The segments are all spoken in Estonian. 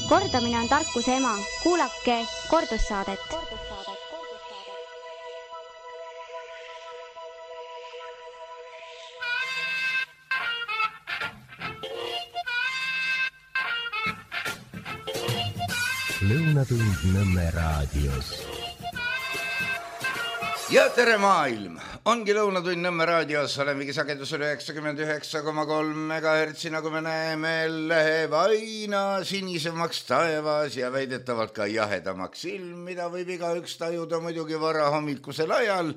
Kordamine on tarkuse ema. Kuulake kordussaadet. Lõunatund Nõmme raadios. Ja tere maailm! Ongi Lõunatund Nõmme raadios, olemegi sagedusel 99,3 MHz, nagu me näeme, läheb aina sinisemaks taevas ja väidetavalt ka jahedamaks ilm, mida võib igaüks tajuda muidugi varahommikusel ajal.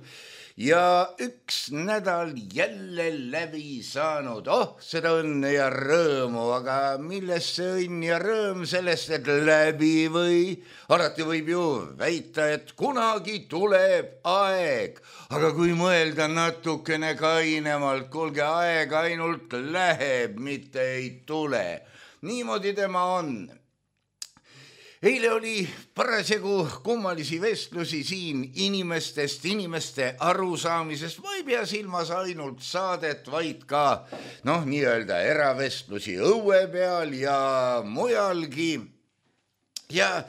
Ja üks nädal jälle läbi saanud. Seda õnne ja rõõmu, aga millest see õnn ja rõõm sellest, et läbi või? Alati võib ju väita, et kunagi tuleb aeg. Aga kui mõelda natukene kainemalt, kuulge, aeg ainult läheb, mitte ei tule. Niimoodi tema on. Eile oli parasjagu kummalisi vestlusi siin inimeste arusaamisest. Ma ei pea silmas ainult saadet, vaid ka nii-öelda eravestlusi õue peal ja mujalgi. Ja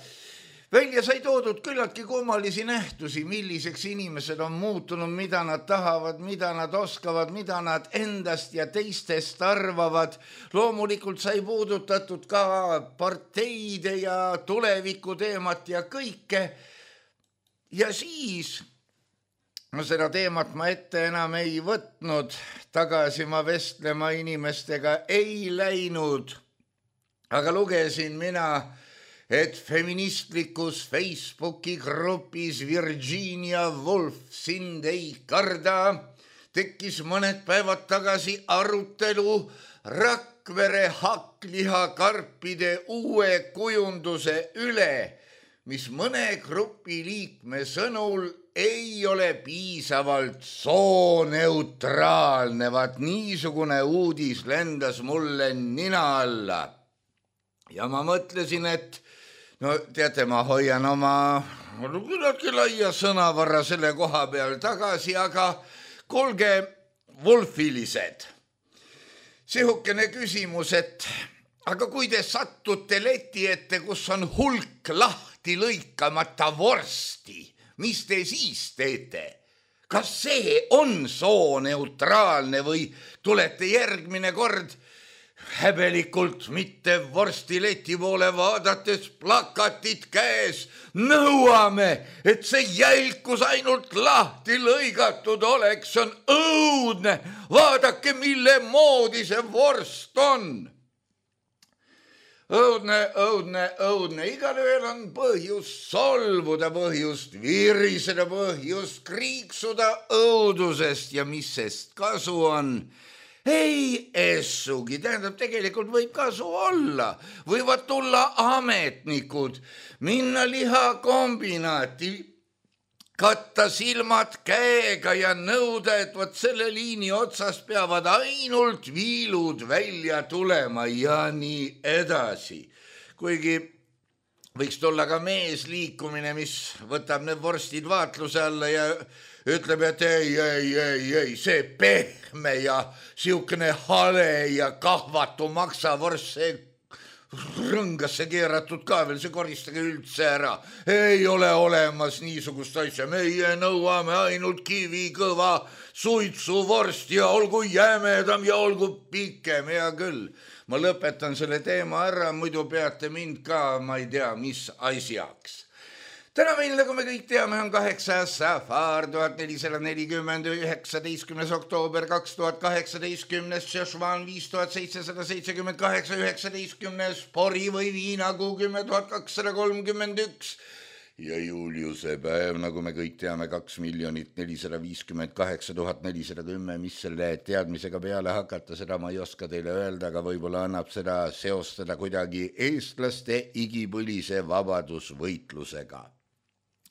välja sai toodud küllaltki kummalisi nähtusi, milliseks inimesed on muutunud, mida nad tahavad, mida nad oskavad, mida nad endast ja teistest arvavad. Loomulikult sai puudutatud ka parteide ja tuleviku teemat ja kõike. Ja siis, seda teemat ma ette enam ei võtnud, tagasi ma vestlema inimestega ei läinud, aga lugesin mina, et feministlikus Facebooki grupis Virginia Woolf sind ei karda tekkis mõned päevad tagasi arutelu Rakvere hakklihakarpide uue kujunduse üle, mis mõne grupi liikme sõnul ei ole piisavalt sooneutraalne. Vaat niisugune uudis lendas mulle nina alla. Ja ma mõtlesin, et teate, ma hoian oma küllaltki laia sõnavarra selle koha peal tagasi, aga kuulge, Wolfilised, sihukene küsimus, et aga kui te sattute leti ette, kus on hulk lahti lõikamata vorsti, mis te siis teete? Kas see on sooneutraalne või tulete järgmine kord häbelikult mitte vorstileti poole vaadates plakatit käes? Nõuame, et see jälkus ainult lahti lõigatud oleks. See on õudne. Vaadake, mille moodi see vorst on. Õudne. Igalühel on põhjus solvuda, põhjust viriseda, põhjust kriiksuda õudusest ja mis sest kasu on? Ei essugi, tähendab, tegelikult võib kasu olla. Võivad tulla ametnikud, minna lihakombinaati, katta silmad käega ja nõuda, et võt selle liini otsas peavad ainult viilud välja tulema ja nii edasi. Kuigi võiks tulla ka meesliikumine, mis võtab need vorstid vaatluse alla ja ütleb, et ei, see pehme ja siukene hale ja kahvatu maksavorst, see rõngasse keeratud ka veel, see koristage üldse ära. Ei ole olemas niisugust asja, meie nõuame ainult kivikõva suitsuvorst ja olgu jämedam ja olgu pikem, hea küll. Ma lõpetan selle teema ära, muidu peate mind ka, ma ei tea, mis asjaks. Täna meil, nagu me kõik teame, on 8. Safar 1440, 19. oktoober 2018, Šešvan 5778, 19. Pori või viinakuu 10,231 ja Juliuse päev, nagu me kõik teame, 2,458,410, mis selle teadmisega peale hakata, seda ma ei oska teile öelda, aga võib-olla annab seda seostada kuidagi eestlaste igipõlise vabadusvõitlusega.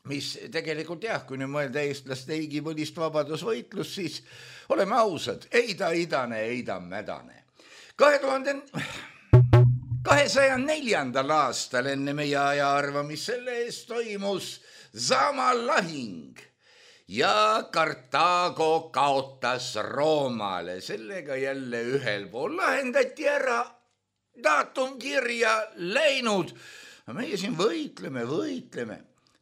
Mis tegelikult kui nüüd mõelda eestlaste igipõlist vabadusvõitlust, siis oleme ausad, ei ta idane, ei ta mädane. 204. aastal enne meie ajaarvamist selle eest toimus Zama lahing ja Kartaago kaotas Roomale. Sellega jälle ühel pool lahendati ära daatum kirja läinud. Meie siin võitleme.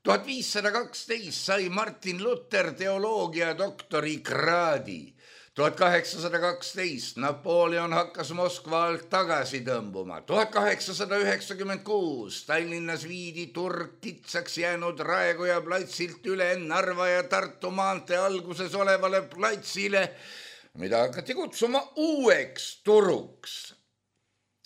1512 sai Martin Luther teoloogia doktori kraadi. 1812 Napoleon hakkas Moskva alt tagasi tõmbuma. 1896 Tallinnas viidi turg kitsaks jäänud Raekoja platsilt üle Narva ja Tartu maantee alguses olevale platsile, mida hakati kutsuma uueks turuks.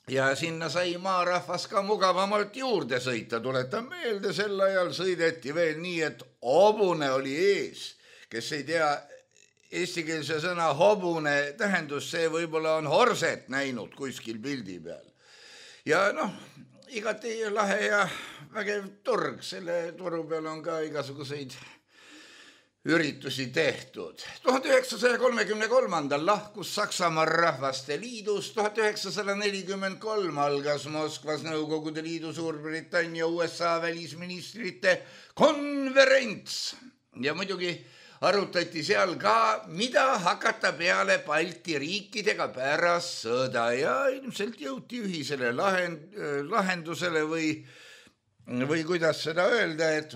Ja sinna sai maarahvas ka mugavamalt juurde sõita. Tuletan meelde, sel ajal sõideti veel nii, et hobune oli ees. Kes ei tea eestikeelse sõna hobune tähendus, see võib-olla on horset näinud kuskil pildi peal. Ja igati lahe ja vägev turg. Selle turu peal on ka igasuguseid üritusi tehtud. 1933 lahkus Saksamaa Rahvaste Liidus. 1943 algas Moskvas Nõukogude Liidu, Suurbritannia, USA välisministrite konverents. Ja muidugi arutati seal ka, mida hakata peale Balti riikidega pärast sõda ja ilmselt jõuti ühisele lahendusele või kuidas seda öelda, et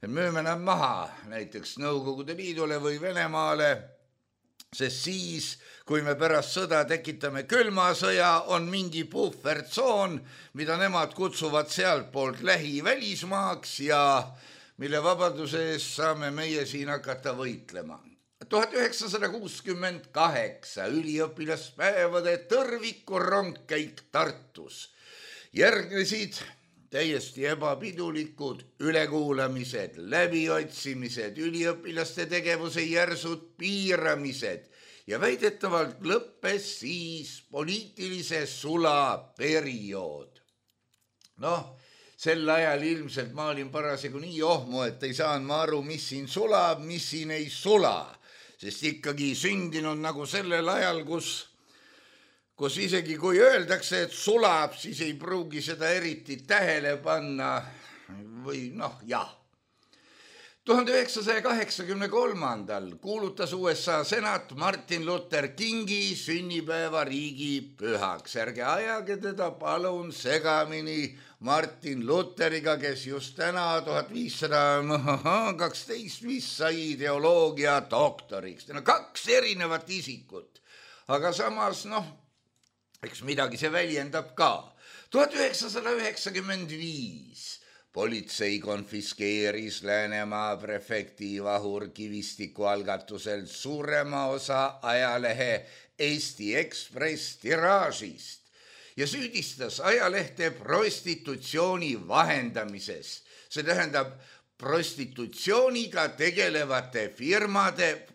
müüme nad maha näiteks Nõukogude Liidule või Venemaale, sest siis, kui me pärast sõda tekitame külma sõja, on mingi puhvertsoon, mida nemad kutsuvad sealt poolt lähivälismaaks ja mille vabaduse eest saame meie siin hakata võitlema. 1968 üliõpilaspäevade tõrviku rongkäik Tartus. Järgnesid täiesti ebapidulikud ülekuulamised, läbiotsimised, üliõpilaste tegevuse järsud piiramised ja väidetavalt lõppes siis poliitilise sulaperiood. Sel ajal ilmselt ma olin parasjagu nii ohmu, et ei saanud ma aru, mis siin sulab, mis siin ei sula, sest ikkagi sündinud nagu sellel ajal, kus isegi kui öeldakse, et sulab, siis ei pruugi seda eriti tähele panna või jah. 1983 kuulutas USA senat Martin Luther Kingi sünnipäeva riigipühaks. Ärge ajage teda palun segamini Martin Lutheriga, kes just täna 1512 vist sai teoloogia doktoriks. Kaks erinevat isikut, aga samas eks midagi see väljendab ka. 1995 politsei konfiskeeris Läänemaa prefekti Vahur Kivistiku algatusel suurema osa ajalehe Eesti Ekspress tiraažist ja süüdistas ajalehte prostitutsiooni vahendamises. See tähendab prostitutsiooniga tegelevate firmade,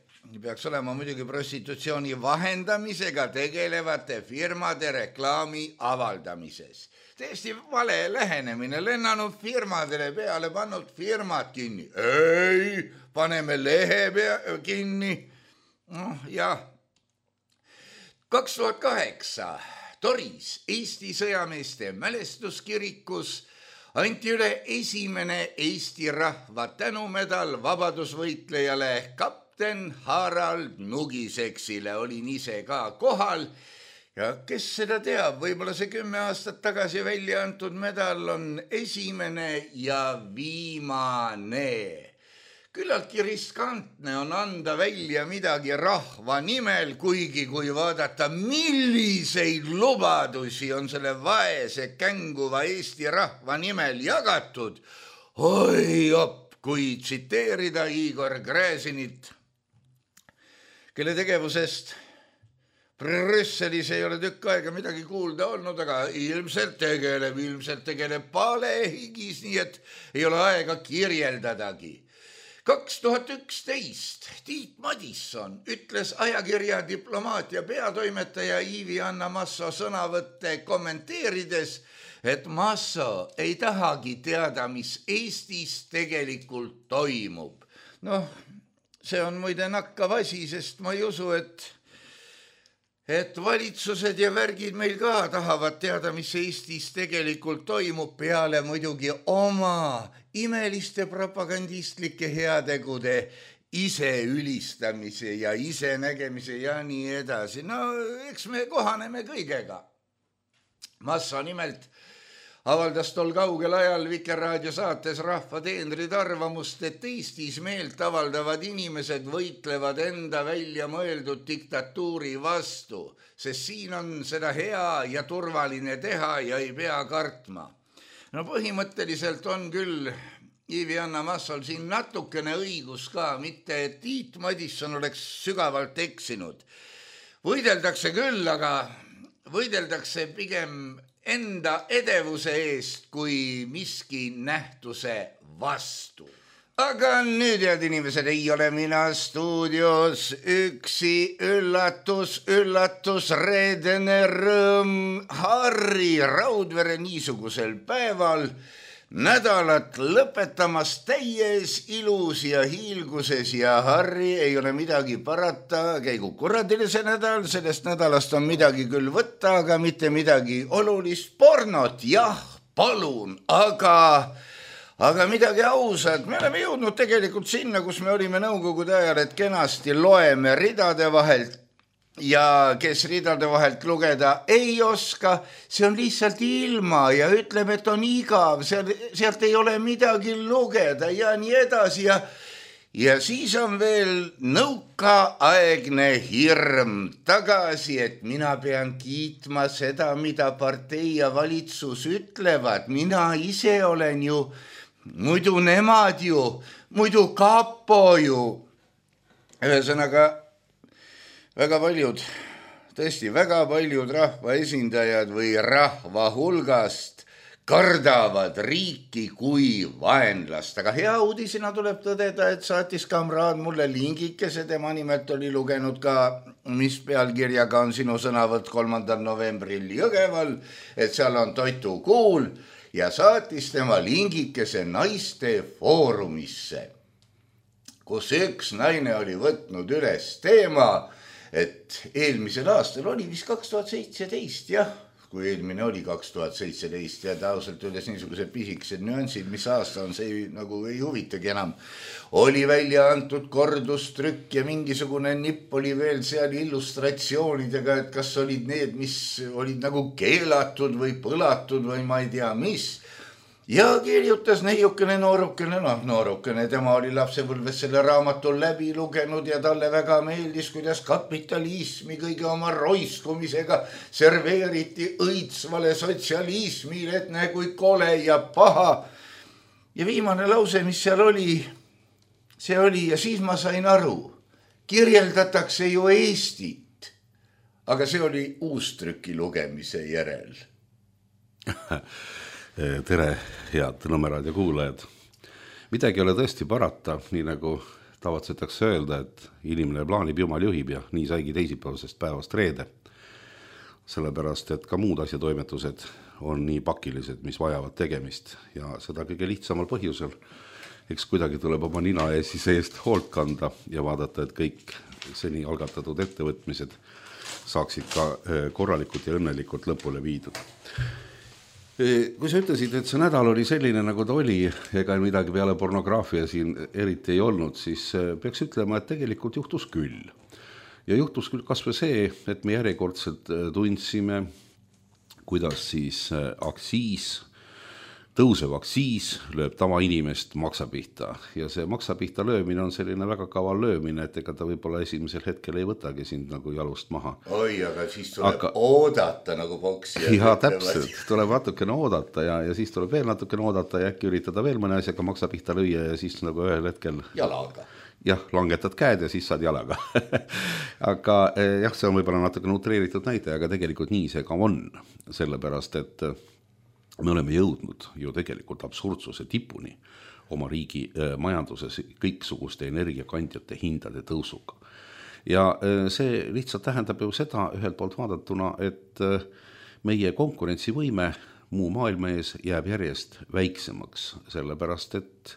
peaks olema muidugi prostitutsiooni vahendamisega tegelevate firmade reklaami avaldamises. Täiesti vale lähenemine, lennanud firmadele peale, pannud firmad kinni. Ei, paneme lehe kinni. 2008 Toris Eesti sõjameeste mälestuskirikus anti üle esimene Eesti rahva tänumedal vabadusvõitlejale kapten Harald Nugiseksile. Olin ise ka kohal. Ja kes seda teab, võib-olla see 10 aastat tagasi välja antud medal on esimene ja viimane. Küllaltki riskantne on anda välja midagi rahva nimel, kuigi kui vaadata, milliseid lubadusi on selle vaese känguva Eesti rahva nimel jagatud. Oi op, kui tsiteerida Igor Gräzinit, kelle tegevusest Brüsselis ei ole tükk aega midagi kuulda olnud, aga ilmselt tegeleb palehigis, nii et ei ole aega kirjeldadagi. 2011 Tiit Madisson ütles ajakirja Diplomaatia peatoimetaja Ivi-Anna Masso sõnavõtte kommenteerides, et Masso ei tahagi teada, mis Eestis tegelikult toimub. See on muide nakkav asi, sest ma ei usu, et valitsused ja värgid meil ka tahavad teada, mis Eestis tegelikult toimub, peale muidugi oma imeliste propagandistlike heategude ise ülistamise ja ise nägemise ja nii edasi. Eks me kohaneme kõigega. Massa nimelt avaldas tol kaugel ajal Vikerraadio saates Rahva teenrid arvamust, et Eestis meelt avaldavad inimesed võitlevad enda välja mõeldud diktatuuri vastu, sest siin on seda hea ja turvaline teha ja ei pea kartma. No põhimõtteliselt on küll Ivi-Anna Massol siin natukene õigus ka, mitte et Tiit Madisson oleks sügavalt eksinud. Võideldakse küll, aga võideldakse pigem enda edevuse eest kui miski nähtuse vastu. Aga nüüd, head inimesed, ei ole mina stuudios üksi. Üllatus, reedene rõõm. Harri Raudvere niisugusel päeval nädalat lõpetamas täies ilus ja hiilguses ja Harri, ei ole midagi parata, käigu kuradile see nädal, sellest nädalast on midagi küll võtta, aga mitte midagi olulist. Pornot, jah, palun, aga midagi ausat. Me oleme jõudnud tegelikult sinna, kus me olime nõukogude ajal, et kenasti loeme ridade vahelt. Ja kes ridade vahelt lugeda ei oska, see on lihtsalt ilma ja ütleb, et on igav, sealt ei ole midagi lugeda ja nii edasi. Ja siis on veel nõukaaegne hirm tagasi, et mina pean kiitma seda, mida partei ja valitsus ütlevad. Mina ise olen ju, muidu nemad ju, muidu kapo ju. Ühesõnaga, väga paljud rahvaesindajad või rahva hulgast kardavad riiki kui vaenlast. Aga hea uudisena tuleb tõdeda, et saatis kamraad mulle lingikese, tema nimelt oli lugenud ka, mis pealkirjaga on sinu sõnavõtt 3. novembril Jõgeval, et seal on toitukuul ja saatis tema lingikese naiste foorumisse, kus üks naine oli võtnud üles teema, et eelmisel aastal oli vist 2017, jah, kui eelmine oli 2017 ja ausalt öeldes niisugused pisikesed nüansid, mis aasta on, see nagu ei huvitagi enam. Oli välja antud kordustrükk ja mingisugune nipp oli veel seal illustratsioonidega, et kas olid need, mis olid nagu keelatud või põlatud või ma ei tea mis. Ja kirjutas neiukene noorukene, tema oli lapsepõlves selle raamatu läbi lugenud ja talle väga meeldis, kuidas kapitalismi kõige oma roiskumisega serveeriti õitsvale sotsialismile, et näe kui kole ja paha. Ja viimane lause, mis seal oli, see oli ja siis ma sain aru, kirjeldatakse ju Eestit, aga see oli uustrüki lugemise järel. Tere, head Nõmmeraadio kuulajad. Midagi ei ole tõesti parata, nii nagu tavatsetakse öelda, et inimene plaanib, jumal juhib ja nii saigi teisipäevasest päevast reede. Sellepärast, et ka muud asjatoimetused on nii pakilised, mis vajavad tegemist ja seda kõige lihtsamal põhjusel. Eks kuidagi tuleb oma nina ja siis eest hoolt kanda ja vaadata, et kõik seni algatatud ettevõtmised saaksid ka korralikult ja õnnelikult lõpule viidud. Kui sa ütlesid, et see nädal oli selline, nagu ta oli, ega midagi peale pornograafia siin eriti ei olnud, siis peaks ütlema, et tegelikult juhtus küll. Ja juhtus küll kas või see, et me järjekordselt tundsime, kuidas siis tõusev aktsiis lööb tavainimest maksapihta. Ja see maksapihta löömine on selline väga kaval löömine, et ega ta võib-olla esimesel hetkel ei võtagi sind nagu jalust maha. Oi, aga siis tuleb oodata nagu poksijad. Ja täpselt, tuleb natukene oodata ja siis tuleb veel natukene oodata ja äkki üritada veel mõne asjaga maksapihta lüüa ja siis nagu ühel hetkel jalaga. Jah, langetad käed ja siis saad jalaga. Aga jah, see on võib-olla natuke utreeritud näide, aga tegelikult nii see ka on. Sellepärast, et me oleme jõudnud ju tegelikult absurdsuse tipuni oma riigi majanduses kõiksuguste energiakandjate hindade tõusuga. Ja see lihtsalt tähendab ju seda ühelt poolt vaadatuna, et meie konkurentsivõime muu maailma ees jääb järjest väiksemaks, sellepärast et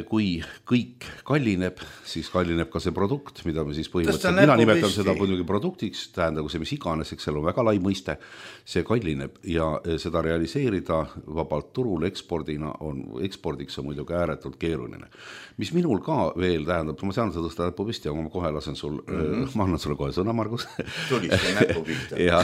kui kõik kallineb, siis kallineb ka see produkt, mida me siis põhimõtteliselt, mina nimetan seda muidugi produktiks, tähendagu see mis iganes, eks seal on väga lai mõiste, see kallineb ja seda realiseerida vabalt turul ekspordiks on muidugi ääretult keeruline. Mis minul ka veel tähendab, ma tean, sa tõsta näpu püsti, aga ma kohe lasen sul, ma annan sulle kohe sõna, Margus. Tulid see näpu pihta. ja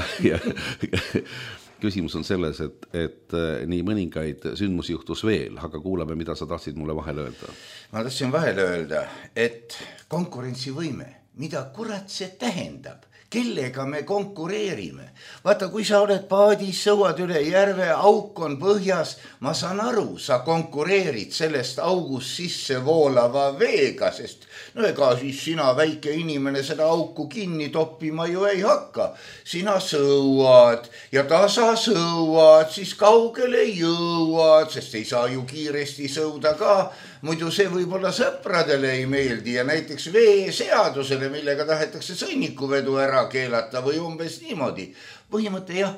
küsimus on selles, et nii mõningaid sündmusi juhtus veel, aga kuulame, mida sa tahtsid mulle vahele öelda. Ma tahtsin vahele öelda, et konkurentsivõime, mida kurat see tähendab? Kellega me konkureerime? Vaata, kui sa oled paadis, sõuad üle järve, auk on põhjas, ma saan aru, sa konkureerid sellest august sisse voolava veega, sest no ega siis sina väike inimene seda auku kinni toppima ju ei hakka. Sina sõuad ja tasa sõuad, siis kaugele jõuad, sest ei saa ju kiiresti sõuda ka. Muidu see võib-olla sõpradele ei meeldi ja näiteks veeseadusele, millega tahetakse sõnnikuvedu ära keelata või umbes niimoodi. Põhimõte jah,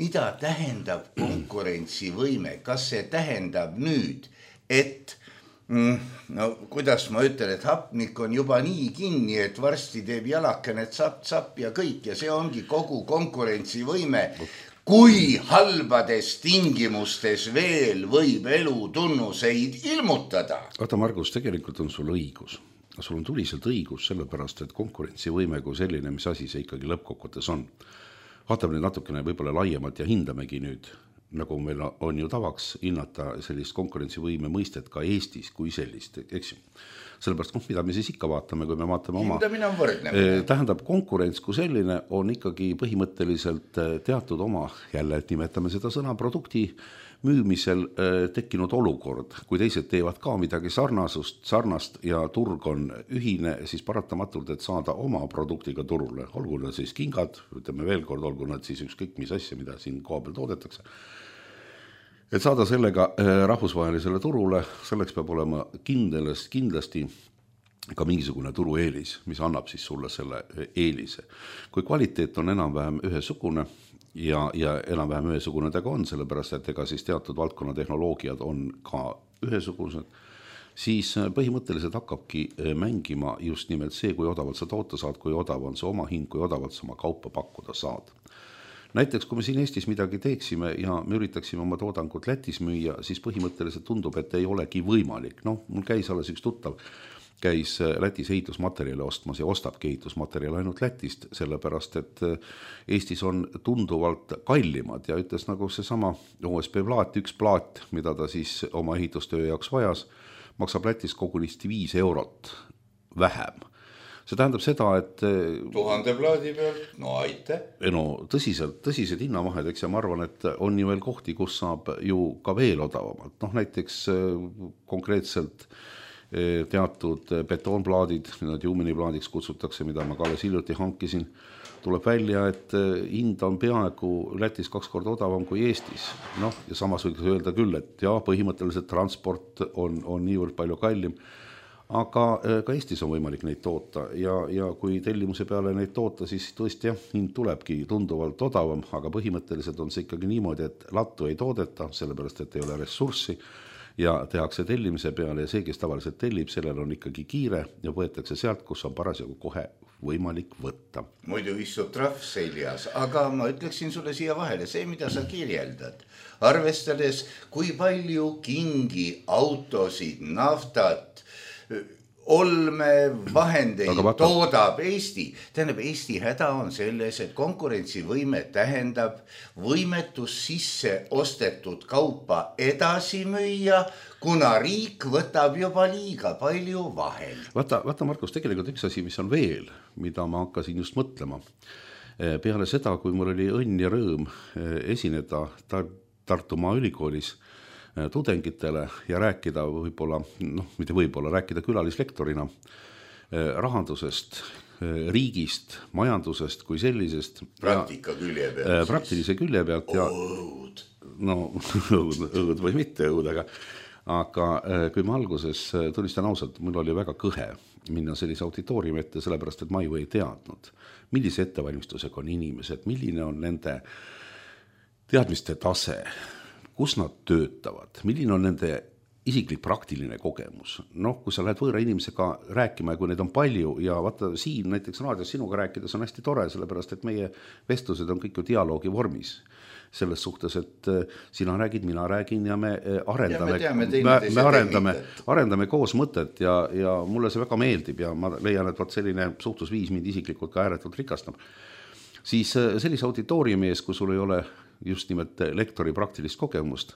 mida tähendab konkurentsivõime? Kas see tähendab nüüd, et no kuidas ma ütlen, et hapnik on juba nii kinni, et varsti teeb jalakene tsapp ja kõik ja see ongi kogu konkurentsivõime. Kui halbades tingimustes veel võib elu tunnuseid ilmutada? Vaata, Margus, tegelikult on sul õigus. Sul on tuliselt õigus, sellepärast, et konkurentsivõime kui selline, mis asi see ikkagi lõppkokkutes on. Vaatame nüüd natukene võib-olla laiemalt ja hindamegi nüüd, nagu meil on ju tavaks hinnata sellist konkurentsivõime mõistet ka Eestis kui sellist, eks ju. Sellepärast, mida me siis ikka vaatame, kui me vaatame oma... Hindamine on võrdne. Tähendab, konkurents kui selline on ikkagi põhimõtteliselt teatud oma, jälle nimetame seda sõna produkti müümisel tekkinud olukord. Kui teised teevad ka midagi sarnast ja turg on ühine, siis paratamatult, et saada oma produktiga turule. Olgu nad siis kingad, ütleme veel kord, olgu nad siis ükskõik mis asja, mida siin koha peal toodetakse. Et saada sellega rahvusvahelisele turule, selleks peab olema kindlasti ka mingisugune turueelis, mis annab siis sulle selle eelise. Kui kvaliteet on enam-vähem ühesugune ja enam-vähem ühesugune tega on, sellepärast, et ega siis teatud valdkonna tehnoloogiad on ka ühesugused, siis põhimõtteliselt hakkabki mängima just nimelt see, kui odavalt sa toota saad, kui odav on see oma hind, kui odavalt sa oma kaupa pakkuda saad. Näiteks, kui me siin Eestis midagi teeksime ja me üritaksime oma toodangut Lätis müüa, siis põhimõtteliselt tundub, et ei olegi võimalik. No, mul käis alles üks tuttav, käis Lätis ehitusmaterjali ostmas ja ostabki ehitusmaterjali ainult Lätist, sellepärast, et Eestis on tunduvalt kallimad ja ütles nagu seesama OSB plaat, üks plaat, mida ta siis oma ehitustöö jaoks vajas, maksab Lätis kogunisti 5 eurot vähem. See tähendab seda, et 1000 plaadi pealt, no aite. No tõsised hinnavahed, eks ja ma arvan, et on ju veel kohti, kus saab ju ka veel odavamalt. Noh, näiteks konkreetselt teatud betoonplaadid, need juuminiplaadiks kutsutakse, mida ma ka alles hiljuti hankisin, tuleb välja, et hind on peaaegu Lätis 2 korda odavam kui Eestis. Noh, ja samas võiks öelda küll, et jah, põhimõtteliselt transport on niivõrd palju kallim, aga ka Eestis on võimalik neid toota ja kui tellimuse peale neid toota, siis tõesti jah, hind tulebki tunduvalt odavam, aga põhimõtteliselt on see ikkagi niimoodi, et lattu ei toodeta, sellepärast, et ei ole ressurssi ja tehakse tellimise peale ja see, kes tavaliselt tellib, sellel on ikkagi kiire ja võetakse sealt, kus on parasjagu kohe võimalik võtta. Muidu istub trahv seljas, aga ma ütleksin sulle siia vahele, see, mida sa kirjeldad, arvestades, kui palju kingi, autosid, naftat, olme, vahendeid toodab Eesti. Tähendab, Eesti häda on selles, et konkurentsivõime tähendab võimetus sisse ostetud kaupa edasi müüa, kuna riik võtab juba liiga palju vahel. Vaata, Markus, tegelikult üks asi, mis on veel, mida ma hakkasin just mõtlema. Peale seda, kui mul oli õnn ja rõõm esineda Tartumaa ülikoolis tudengitele ja rääkida võib-olla, mitte võib-olla, rääkida külalislektorina rahandusest, riigist, majandusest kui sellisest. Praktika külje pealt. Praktilise külje pealt. Ja, õud. No, õud või mitte õud, aga kui ma alguses tunnistan ausalt, mul oli väga kõhe minna sellise auditooriumi ette, sellepärast, et ma ju ei teadnud, millise ettevalmistusega on inimesed, milline on nende teadmiste tase, kus nad töötavad, milline on nende isiklik praktiline kogemus. Noh, kui sa lähed võõra inimesega rääkima ja kui neid on palju ja vaata siin näiteks raadios sinuga rääkides on hästi tore, sellepärast et meie vestlused on kõik ju dialoogi vormis. Selles suhtes, et sina räägid, mina räägin ja me arendame koos mõtet ja mulle see väga meeldib ja ma leian, et selline suhtlusviis mind isiklikult ka ääretult rikastab. Siis sellise auditooriumi ees, kui sul ei ole just nimelt lektori praktilist kogemust,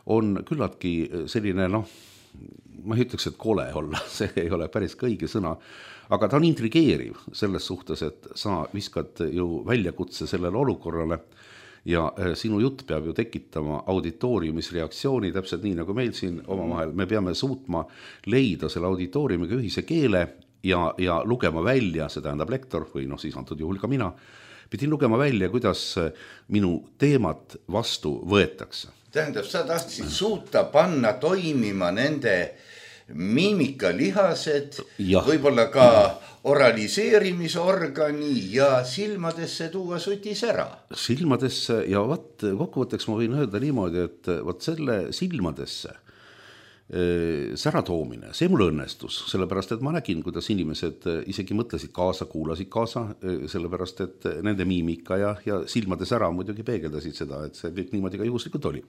on küllaltki selline, ma ei ütleks, et kole olla, see ei ole päris õige sõna, aga ta on intrigeeriv selles suhtes, et sa viskad ju väljakutse sellele olukorrale ja sinu jutt peab ju tekitama auditooriumis reaktsiooni, täpselt nii nagu meil siin omavahel. Me peame suutma leida selle auditooriumiga ühise keele ja lugema välja, see tähendab lektor või siis antud juhul ka mina, pidin lugema välja, kuidas minu teemat vastu võetakse. Tähendab, sa tahtsid suuta panna toimima nende miimikalihased, võib-olla ka oraliseerimisorgani ja silmadesse tuua sutis ära. Silmadesse ja kokkuvõtteks ma võin öelda niimoodi, et selle silmadesse säratoomine, see mul õnnestus, sellepärast et ma nägin, kuidas inimesed isegi mõtlesid kaasa, kuulasid kaasa, sellepärast et nende miimika ja silmade sära muidugi peegeldasid seda, et see kõik niimoodi ka juhuslikult oli.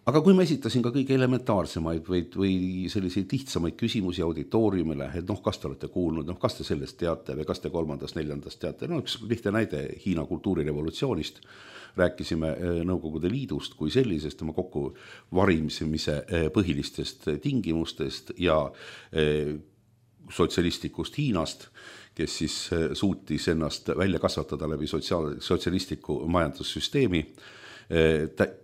Aga kui ma esitasin ka kõige elementaarsemaid või selliseid lihtsamaid küsimusi auditooriumile, et kas te olete kuulnud, kas te sellest teate või kas te 3., 4. teate, üks lihtne näide Hiina kultuurirevolutsioonist, rääkisime Nõukogude Liidust kui sellisest tema kokku varimise põhilistest tingimustest ja sotsialistlikust Hiinast, kes siis suutis ennast välja kasvatada läbi sotsialistliku majandussüsteemi,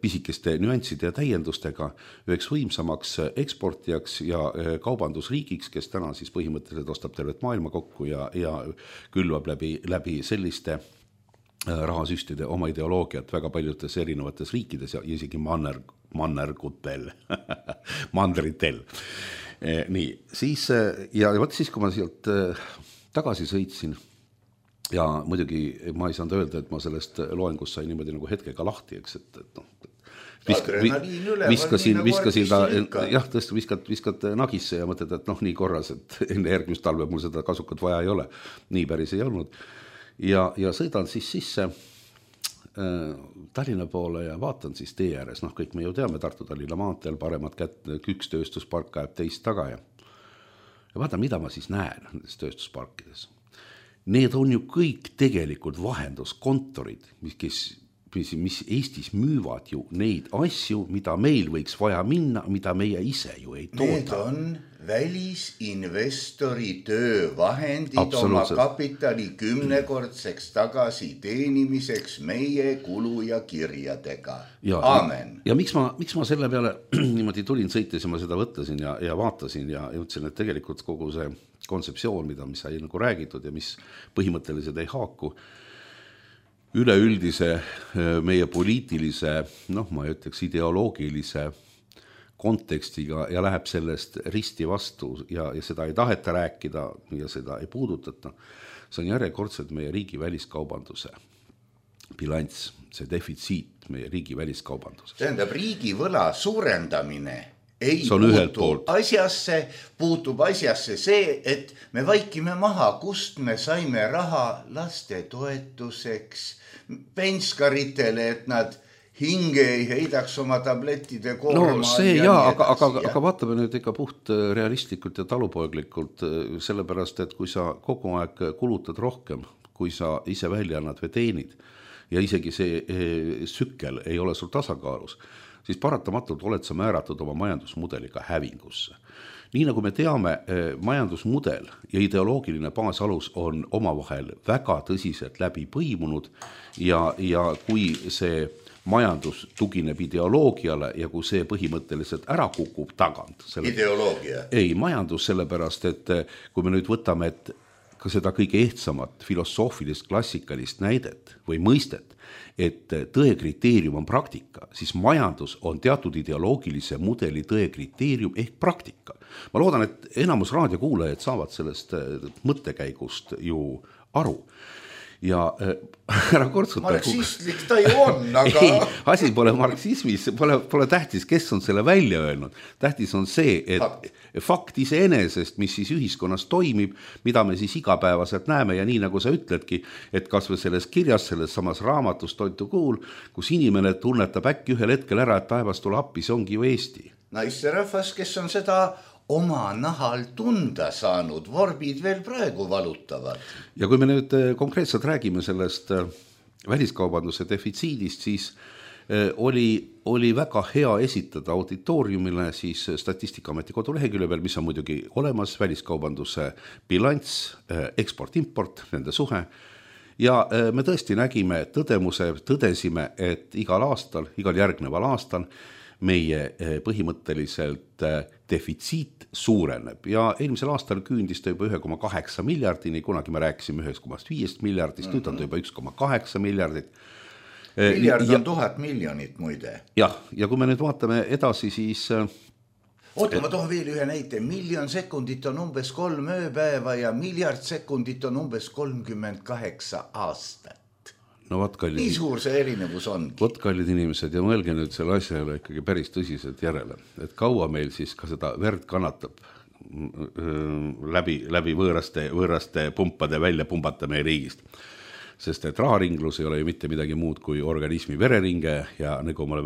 pisikeste nüansside ja täiendustega üheks võimsamaks eksportijaks ja kaubandusriigiks, kes täna siis põhimõtteliselt ostab tervet maailma kokku ja külvab läbi selliste rahasüstide oma ideoloogiat väga paljudes erinevates riikides ja isegi mannergutel, mandritel. Nii, siis, ja siis, kui ma sealt tagasi sõitsin, ja muidugi ma ei saanud öelda, et ma sellest loengust sain niimoodi nagu hetkega lahti, eks, viskasin ta, jah, tõesti viskad nagisse ja mõtled, et nii korras, et enne järgmist talve mul seda kasukat vaja ei ole. Nii päris ei olnud. Ja sõidan siis sisse Tallinna poole ja vaatan siis tee ääres, kõik me ju teame Tartu-Tallinna maanteel, paremat kätt, üks tööstuspark ajab teist taga ja vaatan, mida ma siis näen nendes tööstusparkides. Need on ju kõik tegelikult vahenduskontorid, mis Eestis müüvad ju neid asju, mida meil võiks vaja minna, mida meie ise ju ei tooda. Need on välisinvestori töövahendid oma kapitali 10-kordseks tagasi teenimiseks meie kulu ja kirjadega. Aamen. Ja miks ma selle peale niimoodi tulin sõites ja ma seda võtlesin ja vaatasin ja ütlesin, et tegelikult kogu see kontseptsioon, mis sai nagu räägitud ja mis põhimõtteliselt ei haaku üleüldise meie poliitilise, ma ei ütleks ideoloogilise kontekstiga ja läheb sellest risti vastu ja seda ei taheta rääkida ja seda ei puudutata. See on järjekordselt meie riigi väliskaubanduse bilanss, see defitsiit meie riigi väliskaubandus. Tähendab, riigi võla suurendamine ei puutub asjasse see, et me vaikime maha, kust me saime raha laste toetuseks, penskaritele, et nad hinge ei heidaks oma tablettide koorma. See aga vaatame nüüd ikka puht realistlikult ja talupoeglikult, sellepärast, et kui sa kogu aeg kulutad rohkem, kui sa ise välja annad või teenid ja isegi see sükkel ei ole sul tasakaalus, siis paratamatult oled sa määratud oma majandusmudeliga hävingusse. Nii nagu me teame, majandusmudel ja ideoloogiline baasalus on omavahel väga tõsiselt läbi põimunud ja kui see majandus tugineb ideoloogiale ja kui see põhimõtteliselt ära kukub tagant. Ideoloogia? Ei, majandus sellepärast, et kui me nüüd võtame ka seda kõige ehtsamat filosoofilist klassikalist näidet või mõistet, et tõe kriteerium on praktika, siis majandus on teatud ideoloogilise mudeli tõe kriteerium ehk praktika. Ma loodan, et enamus raadiokuulajad saavad sellest mõttekäigust ju aru. ja ära kortsuta. Marksistlik ta ju on, aga... Ei, asi pole marksismis, pole tähtis, kes on selle välja öelnud. Tähtis on see, et fakt iseenesest, mis siis ühiskonnas toimib, mida me siis igapäevaselt näeme ja nii nagu sa ütledki, et kas või selles kirjas, selles samas raamatus Toitu kuul, kus inimene tunnetab äkki ühel hetkel ära, et päevast tule appi, see ongi ju Eesti. Naisterahvas, kes on seda oma nahal tunda saanud, vorbid veel praegu valutavad. Ja kui me nüüd konkreetselt räägime sellest väliskaubanduse defitsiidist, siis oli väga hea esitada auditooriumile siis Statistikaameti kodulehekülje peal, mis on muidugi olemas, väliskaubanduse bilanss, eksport-import, nende suhe. Ja me tõesti nägime, tõdesime, et igal järgneval aastal meie põhimõtteliselt defitsiit suureneb ja eelmisel aastal küündis ta juba 1,8 miljardini, kunagi me rääkisime 1,5 miljardist, nüüd on ta juba 1,8 miljardit. Miljard on 1000 miljonit muide. Jah, ja kui me nüüd vaatame edasi, siis... Oota, ma toon veel ühe näite. 1 miljon sekundit on umbes 3 ööpäeva ja miljard sekundit on umbes 38 aastat. No, nii suur see erinevus ongi. Vot kallid inimesed ja mõelge nüüd selle asjale ikkagi päris tõsiselt järele, et kaua meil siis ka seda verd kannatab läbi võõraste pumpade välja pumbata meie riigist. Sest et raharinglus ei ole ju mitte midagi muud kui organismi vereringe ja nagu me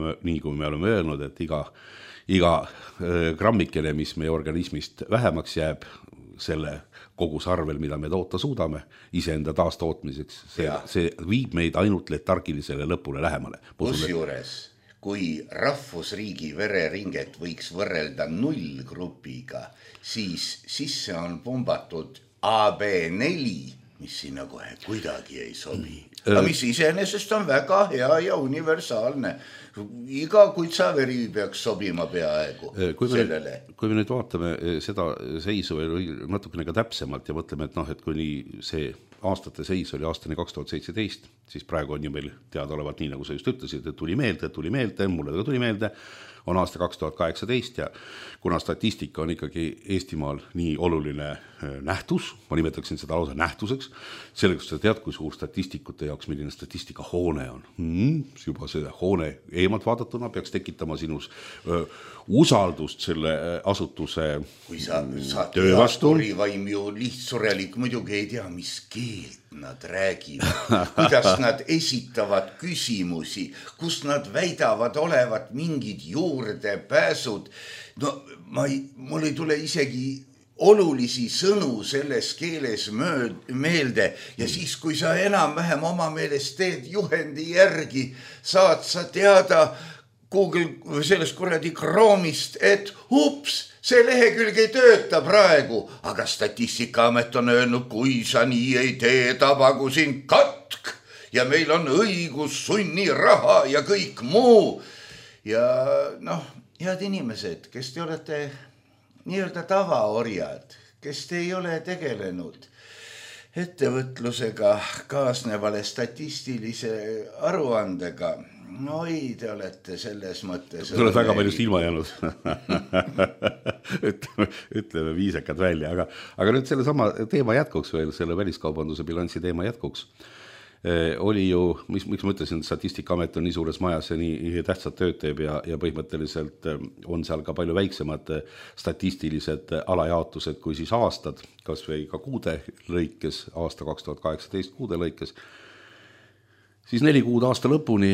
oleme öelnud, et iga grammikene, mis meie organismist vähemaks jääb, selle kogus arvel, mida me toota suudame iseenda taastootmiseks, see viib meid ainult letargilisele lõpule lähemale. Kusjuures, kui rahvusriigi vereringet võiks võrrelda nullgrupiga, siis sisse on pumbatud AB4, mis sinna kohe kuidagi ei sobi. Aga mis iseenesest on väga hea ja universaalne. Iga kuitsaveri peaks sobima peaaegu sellele. Kui me nüüd vaatame seda seisu natukene ka täpsemalt ja mõtleme, et kui see aastate seis oli aastani 2017, siis praegu on ju meil teadaolevalt nii, nagu sa just ütlesid, et tuli meelde, mulle tuli meelde, on aasta 2018 ja kuna statistika on ikkagi Eestimaal nii oluline nähtus, ma nimetaksin seda lausa nähtuseks, sellepärast sa tead, kui suur statistikute jaoks, milline statistika hoone on. Juba see hoone eemalt vaadatuna peaks tekitama sinus usaldust selle asutuse kui sa töö vastu. Vaim ju lihtsurelik muidugi ei tea, mis keelt nad räägivad, kuidas nad esitavad küsimusi, kus nad väidavad olevat mingid juurdepääsud. No mul ei tule isegi olulisi sõnu selles keeles meelde ja siis, kui sa enam-vähem oma meelest teed juhendi järgi, saad sa teada Google sellest kuradi Chrome'ist, et see lehekülg ei tööta praegu, aga Statistikaamet on öelnud, kui sa nii ei tee, tabagu sind katk ja meil on õigus, sunniraha ja kõik muu. Ja head inimesed, kes te olete nii-öelda tavaorjad, kes te ei ole tegelenud ettevõtlusega kaasnevale statistilise aruandega, te olete selles mõttes... Te olete väga paljust ilma jäänud. Ütleme viisakad välja, aga nüüd selle sama teema jätkuks veel, selle väliskaubanduse bilansi teema jätkuks. Oli ju, miks ma ütlesin, et Statistikaamet on nii suures majas ja nii tähtsad tööd teeb ja põhimõtteliselt on seal ka palju väiksemad statistilised alajaotused kui siis aastad, kas või ka kuude lõikes, aasta 2018 kuude lõikes, siis 4 kuud aasta lõpuni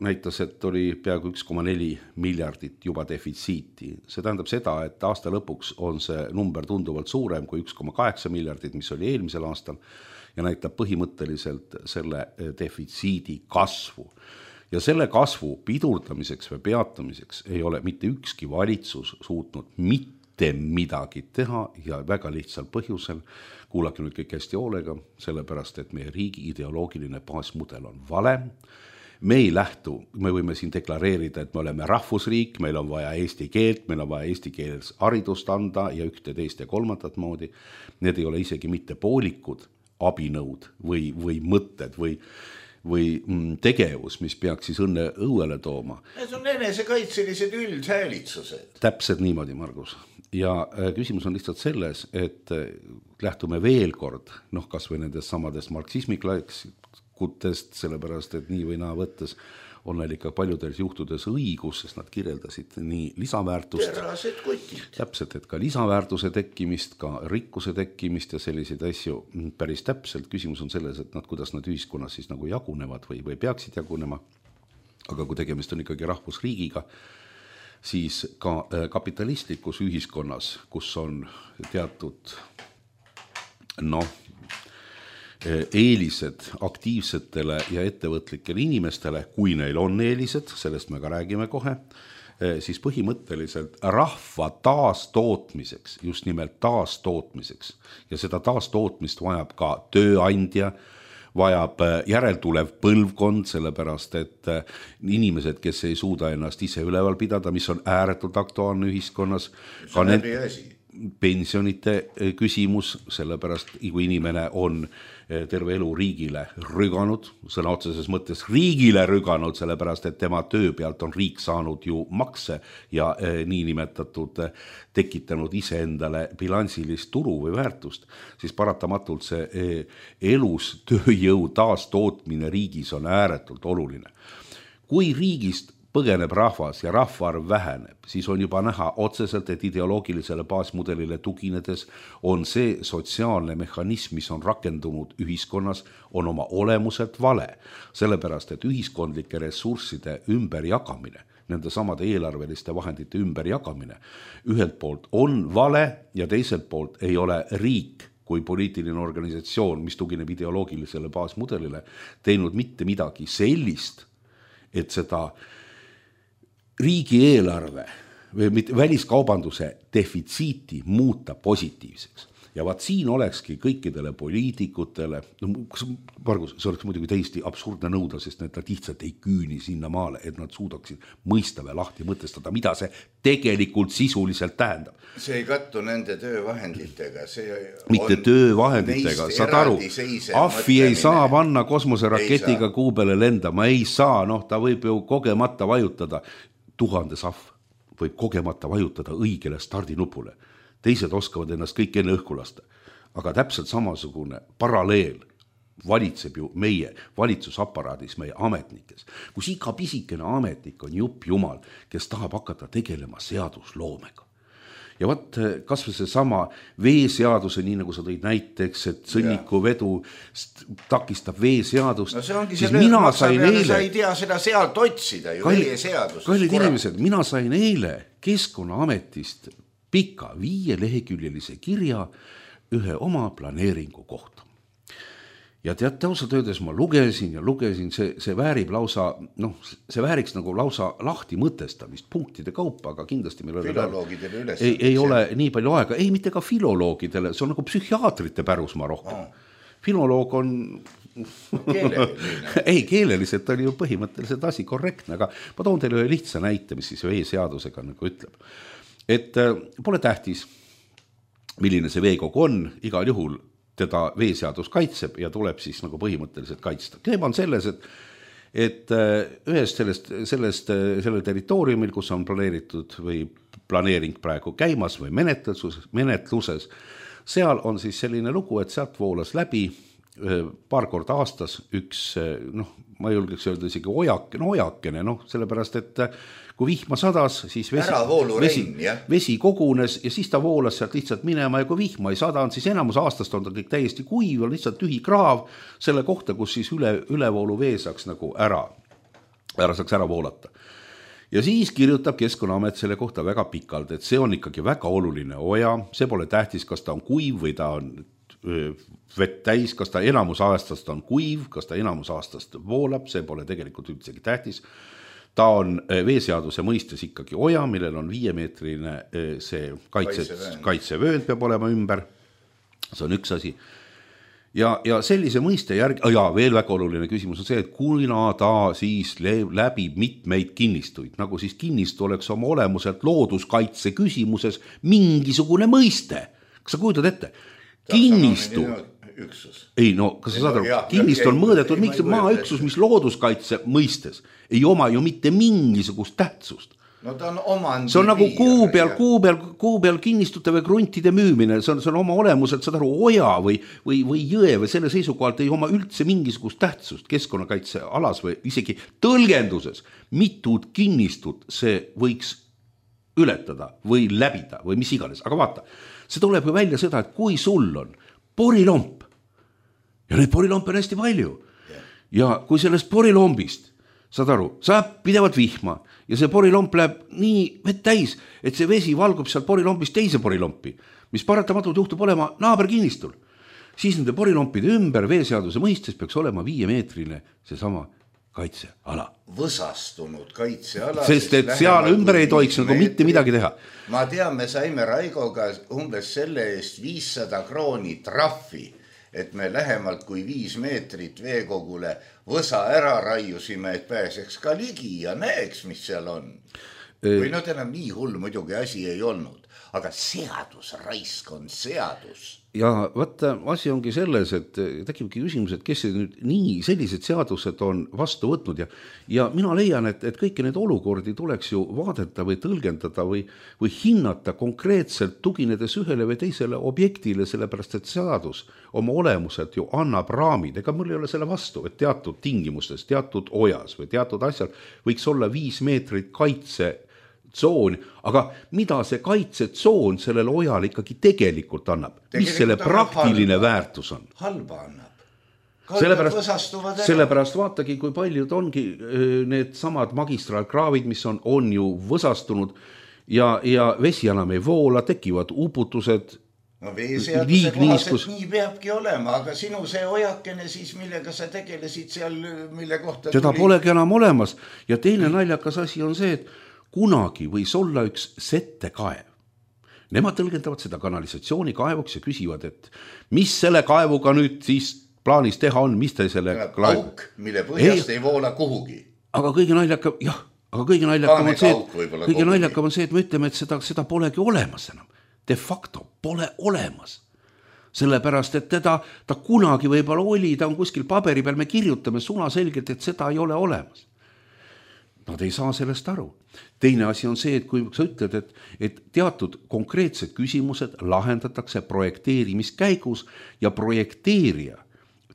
näitas, et oli peaaegu 1,4 miljardit juba defitsiiti. See tähendab seda, et aasta lõpuks on see number tunduvalt suurem kui 1,8 miljardit, mis oli eelmisel aastal ja näitab põhimõtteliselt selle defitsiidi kasvu. Ja selle kasvu pidurdamiseks või peatamiseks ei ole mitte ükski valitsus suutnud mitte midagi teha ja väga lihtsal põhjusel, kuulake nüüd kõik hästi hoolega, sellepärast, et meie riigi ideoloogiline baasmudel on vale. Me ei lähtu, me võime siin deklareerida, et me oleme rahvusriik, meil on vaja eesti keelt, meil on vaja eesti keeles haridust anda ja ühte, teist ja kolmandat moodi. Need ei ole isegi mitte poolikud abinõud või mõtted või tegevus, mis peaks siis õnne õuele tooma. Need on enesekaitselised üldhäälitsused. Täpselt niimoodi, Margus. ja küsimus on lihtsalt selles, et lähtume veel kord, kas või nendest samadest marksismikutest, sellepärast, et nii või naa võttes on neil ikka paljudes juhtudes õigus, sest nad kirjeldasid nii lisaväärtust, täpselt, et ka lisaväärtuse tekkimist, ka rikkuse tekkimist ja selliseid asju päris täpselt. Küsimus on selles, et kuidas nad ühiskonnas siis nagu jagunevad või peaksid jagunema, aga kui tegemist on ikkagi rahvusriigiga, siis ka kapitalistlikus ühiskonnas, kus on teatud eelised aktiivsetele ja ettevõtlikele inimestele, kui neil on eelised, sellest me ka räägime kohe, siis põhimõtteliselt rahva taastootmiseks, just nimelt taastootmiseks, ja seda taastootmist vajab ka tööandja, vajab järeltulev põlvkond, sellepärast et inimesed, kes ei suuda ennast ise üleval pidada, mis on ääretult aktuaalne ühiskonnas, ka pensionite küsimus, sellepärast kui inimene on terve elu riigile rüganud, sõna otseses mõttes riigile rüganud, sellepärast et tema töö pealt on riik saanud ju makse ja niinimetatud tekitanud iseendale bilansilist turu või väärtust, siis paratamatult see elus tööjõu taastootmine riigis on ääretult oluline. Kui riigist põgeneb rahvas ja rahvaarv väheneb, siis on juba näha otseselt, et ideoloogilisele baasmudelile tuginedes on see sotsiaalne mehhanism, mis on rakendunud ühiskonnas, on oma olemuselt vale. Sellepärast, et ühiskondlike ressursside ümberjagamine, nende samade eelarveliste vahendite ümberjagamine ühelt poolt on vale ja teiselt poolt ei ole riik kui poliitiline organisatsioon, mis tugineb ideoloogilisele baasmudelile, teinud mitte midagi sellist, et seda riigieelarve või väliskaubanduse defitsiiti muuta positiivseks. Ja vaat siin olekski kõikidele poliitikutele, Margus, see oleks muidugi täiesti absurdne nõuda, sest nad lihtsalt ei küüni sinna maale, et nad suudaksid mõista või lahti mõtestada, mida see tegelikult sisuliselt tähendab. See ei kattu nende töövahenditega. Mitte töövahenditega, saad aru, ahvi ei saa panna kosmoseraketiga kuu peale lendama, ei saa, ta võib ju kogemata vajutada. 1000 ahv võib kogemata vajutada õigele stardinupule. Teised oskavad ennast kõik enne õhku lasta. Aga täpselt samasugune paralleel valitseb ju meie valitsusaparaadis, meie ametnikes. Kus iga pisikene ametnik on jupp jumal, kes tahab hakata tegelema seadusloomega. Ja võt, kas või see sama veeseaduse, nii nagu sa tõid näiteks, et sõnniku vedu takistab veeseadust. No see ongi see sa ei tea seda sealt otsida ju, veeseadust. Kallid inimesed, mina sain eile Keskkonnaametist pika 5-leheküljelise kirja ühe oma planeeringu kohta. Ja teate, ausalt öeldes ma lugesin, see väärib lausa, see vääriks nagu lausa lahti mõtestamist punktide kaupa, aga kindlasti meil ei ole nii palju aega, ei mitte ka filoloogidele, see on nagu psühhiaatrite pärusmaa rohkem. Filoloog on ei, keeleliselt oli ju põhimõtteliselt asi korrektne, aga ma toon teile ühe lihtsa näite, mis siis veeseadusega nagu ütleb. Et pole tähtis, milline see veekogu on, igal juhul teda veeseadus kaitseb ja tuleb siis nagu põhimõtteliselt kaitsta. Teema on selles, et ühest sellel territooriumil, kus on planeeritud või planeering praegu käimas või menetluses, seal on siis selline lugu, et sealt voolas läbi paar korda aastas üks, ma julgeks öelda isegi ojakene, sellepärast, et kui vihma sadas, siis vesi kogunes ja siis ta voolas sealt lihtsalt minema ja kui vihma ei sadanud, siis enamus aastast on ta kõik täiesti kuiv, on lihtsalt tühi kraav selle kohta, kus siis ülevoolu vee saaks nagu saaks ära voolata. Ja siis kirjutab Keskkonnaamet selle kohta väga pikalt, et see on ikkagi väga oluline oja, see pole tähtis, kas ta on kuiv või ta on vett täis, kas ta enamus aastast on kuiv, kas ta enamus aastast voolab, see pole tegelikult üldsegi tähtis. Ta on veeseaduse mõistes ikkagi oja, millel on 5-meetrine see kaitsevöönd peab olema ümber. See on üks asi. Ja sellise mõiste järgi, ja veel väga oluline küsimus on see, et kuna ta siis läbib mitmeid kinnistuid, nagu siis kinnistu oleks oma olemuselt looduskaitse küsimuses mingisugune mõiste. Kas sa kujutad ette? Kinnistu. Ei, kas sa saad aru? Kinnistu on mõõdetud maaüksus, mis looduskaitse mõistes ei oma ju mitte mingisugust tähtsust. No ta on omandi see on nagu piir, kuu peal kinnistute või kruntide müümine, see on oma olemuselt, saad aru, oja või jõe või selle seisukohalt ei oma üldse mingisugust tähtsust keskkonnakaitsealas või isegi tõlgenduses. Mitud kinnistut see võiks ületada või läbida või mis iganes, aga vaata, see tuleb ju välja seda, et kui sul on porilomp ja neid porilompe on hästi palju ja kui sellest porilombist, saad aru, saab pidevalt vihma ja see porilomp läheb nii vett täis, et see vesi valgub sealt porilompist teise porilompi, mis paratamatult juhtub olema naaberkinnistul. Siis nende porilompide ümber veeseaduse mõistes peaks olema 5-meetrine seesama kaitseala. Võsastunud kaitseala. Sest et seal ümber ei tohiks nagu mitte midagi teha. Ma tean, me saime Raigoga umbes selle eest 500 krooni trahvi, et me lähemalt kui 5 meetrit veekogule võsa ära raiusime, et pääseks ka ligi ja näeks, mis seal on. Või no enam nii hull muidugi asi ei olnud, aga seadus, raisk on seadus. Ja vaata, asi ongi selles, et tekibki küsimus, et kes nüüd nii sellised seadused on vastu võtnud ja mina leian, et kõiki need olukordi tuleks ju vaadata või tõlgendada või hinnata konkreetselt tuginedes ühele või teisele objektile, sellepärast et seadus oma olemuselt ju annab raamid, ega mul ei ole selle vastu, et teatud tingimustes, teatud ojas või teatud asjal võiks olla 5 meetrit kaitsetsoon, aga mida see kaitsetsoon sellele ojale ikkagi tegelikult annab? Mis selle praktiline väärtus on? Halba annab. Sellepärast vaatagi, kui paljud ongi need samad magistraalkraavid, mis on ju võsastunud ja vesi enam ei voola, tekivad uputused. No veeseaduse kohaselt nii peabki olema, aga sinu see ojakene siis, millega sa tegelesid seal, mille kohta seda polegi enam olemas ja teine naljakas asi on see, et kunagi võis olla üks settekaev. Nemad tõlgendavad seda kanalisatsioonikaevuks ja küsivad, et mis selle kaevuga nüüd siis plaanis teha on, mis te selle auk, mille põhjast ei voola kuhugi. Aga kõige naljakam on see, et me ütleme, et seda polegi olemas enam. De facto pole olemas. Sellepärast, et ta kunagi võib-olla oli, ta on kuskil paberi peal, me kirjutame sunaselgelt, et seda ei ole olemas. Nad ei saa sellest aru. Teine asi on see, et kui sa ütled, et teatud konkreetsed küsimused lahendatakse projekteerimiskäigus ja projekteerija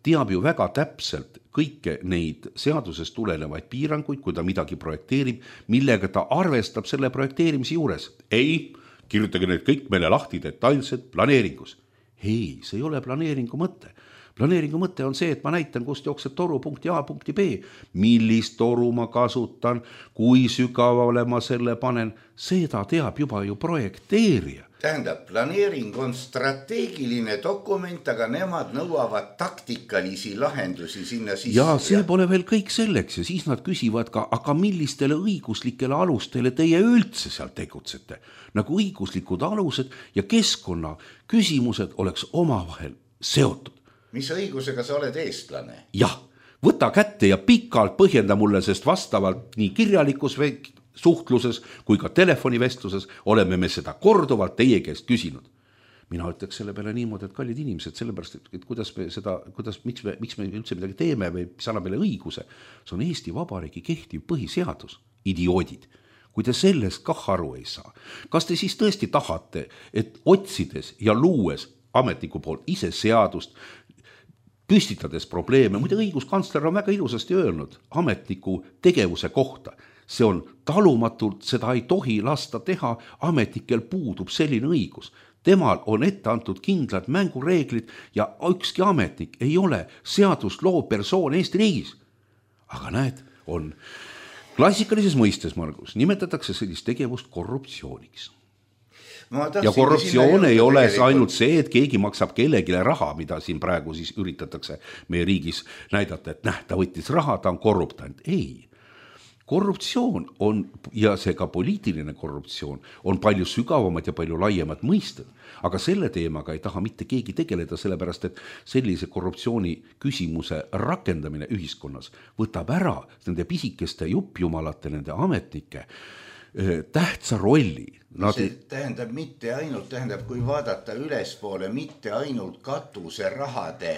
teab ju väga täpselt kõike neid seadusest tulenevaid piiranguid, kui ta midagi projekteerib, millega ta arvestab selle projekteerimise juures. Ei, kirjutage need kõik meile lahti detailselt planeeringus. Ei, see ei ole planeeringu mõte. Planeeringu mõte on see, et ma näitan, kust jookseb toru punkti A punkti B, millist toru ma kasutan, kui sügavale ma selle panen, seda teab juba ju projekteerija. Tähendab, planeering on strateegiline dokument, aga nemad nõuavad taktikalisi lahendusi sinna sisse. Ja see pole veel kõik selleks ja siis nad küsivad ka, aga millistele õiguslikele alustele teie üldse seal tegutsete? Nagu õiguslikud alused ja keskkonna küsimused oleks omavahel seotud. Mis õigusega sa oled eestlane? Jah, võta kätte ja pikalt põhjenda mulle, sest vastavalt nii kirjalikus suhtluses kui ka telefonivestluses oleme me seda korduvalt teie käest küsinud. Mina ütleks selle peale niimoodi, et kallid inimesed, sellepärast, et miks me üldse midagi teeme või mis annab meile õiguse, see on Eesti Vabariigi kehtiv põhiseadus, idioodid. Kui te sellest kah aru ei saa, kas te siis tõesti tahate, et otsides ja luues ametniku poolt ise seadust, püstitades probleeme, muide õiguskantsler on väga ilusasti öelnud ametniku tegevuse kohta. See on talumatult, seda ei tohi lasta teha, ametnikel puudub selline õigus. Temal on ette antud kindlad mängureeglid ja ükski ametnik ei ole seadust loov persoon Eesti riigis. Aga näed, on klassikalises mõistes, Margus, nimetatakse sellist tegevust korruptsiooniks. Ja korruptsioon ei ole ainult see, et keegi maksab kellegile raha, mida siin praegu siis üritatakse meie riigis näidata, et ta võttis raha, ta on korruptant. Ei, korruptsioon on, ja see ka poliitiline korruptsioon, on palju sügavamad ja palju laiemad mõisted, aga selle teemaga ei taha mitte keegi tegeleda, sellepärast, et sellise korruptsiooni küsimuse rakendamine ühiskonnas võtab ära nende pisikeste juppjumalate, nende ametnike tähtsa rolli. See tähendab mitte ainult, kui vaadata ülespoole, mitte ainult katuse rahade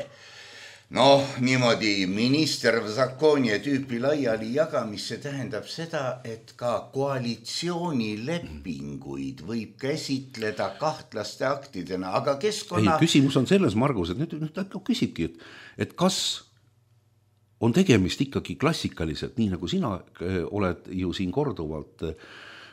Noh, niimoodi minister Zakonie tüüpi laiali jagamist, see tähendab seda, et ka koalitsioonilepinguid võib käsitleda kahtlaste aktidena, aga keskkonna... Ei, küsimus on selles, Margus, et nüüd küsibki, et kas on tegemist ikkagi klassikaliselt, nii nagu sina oled ju siin korduvalt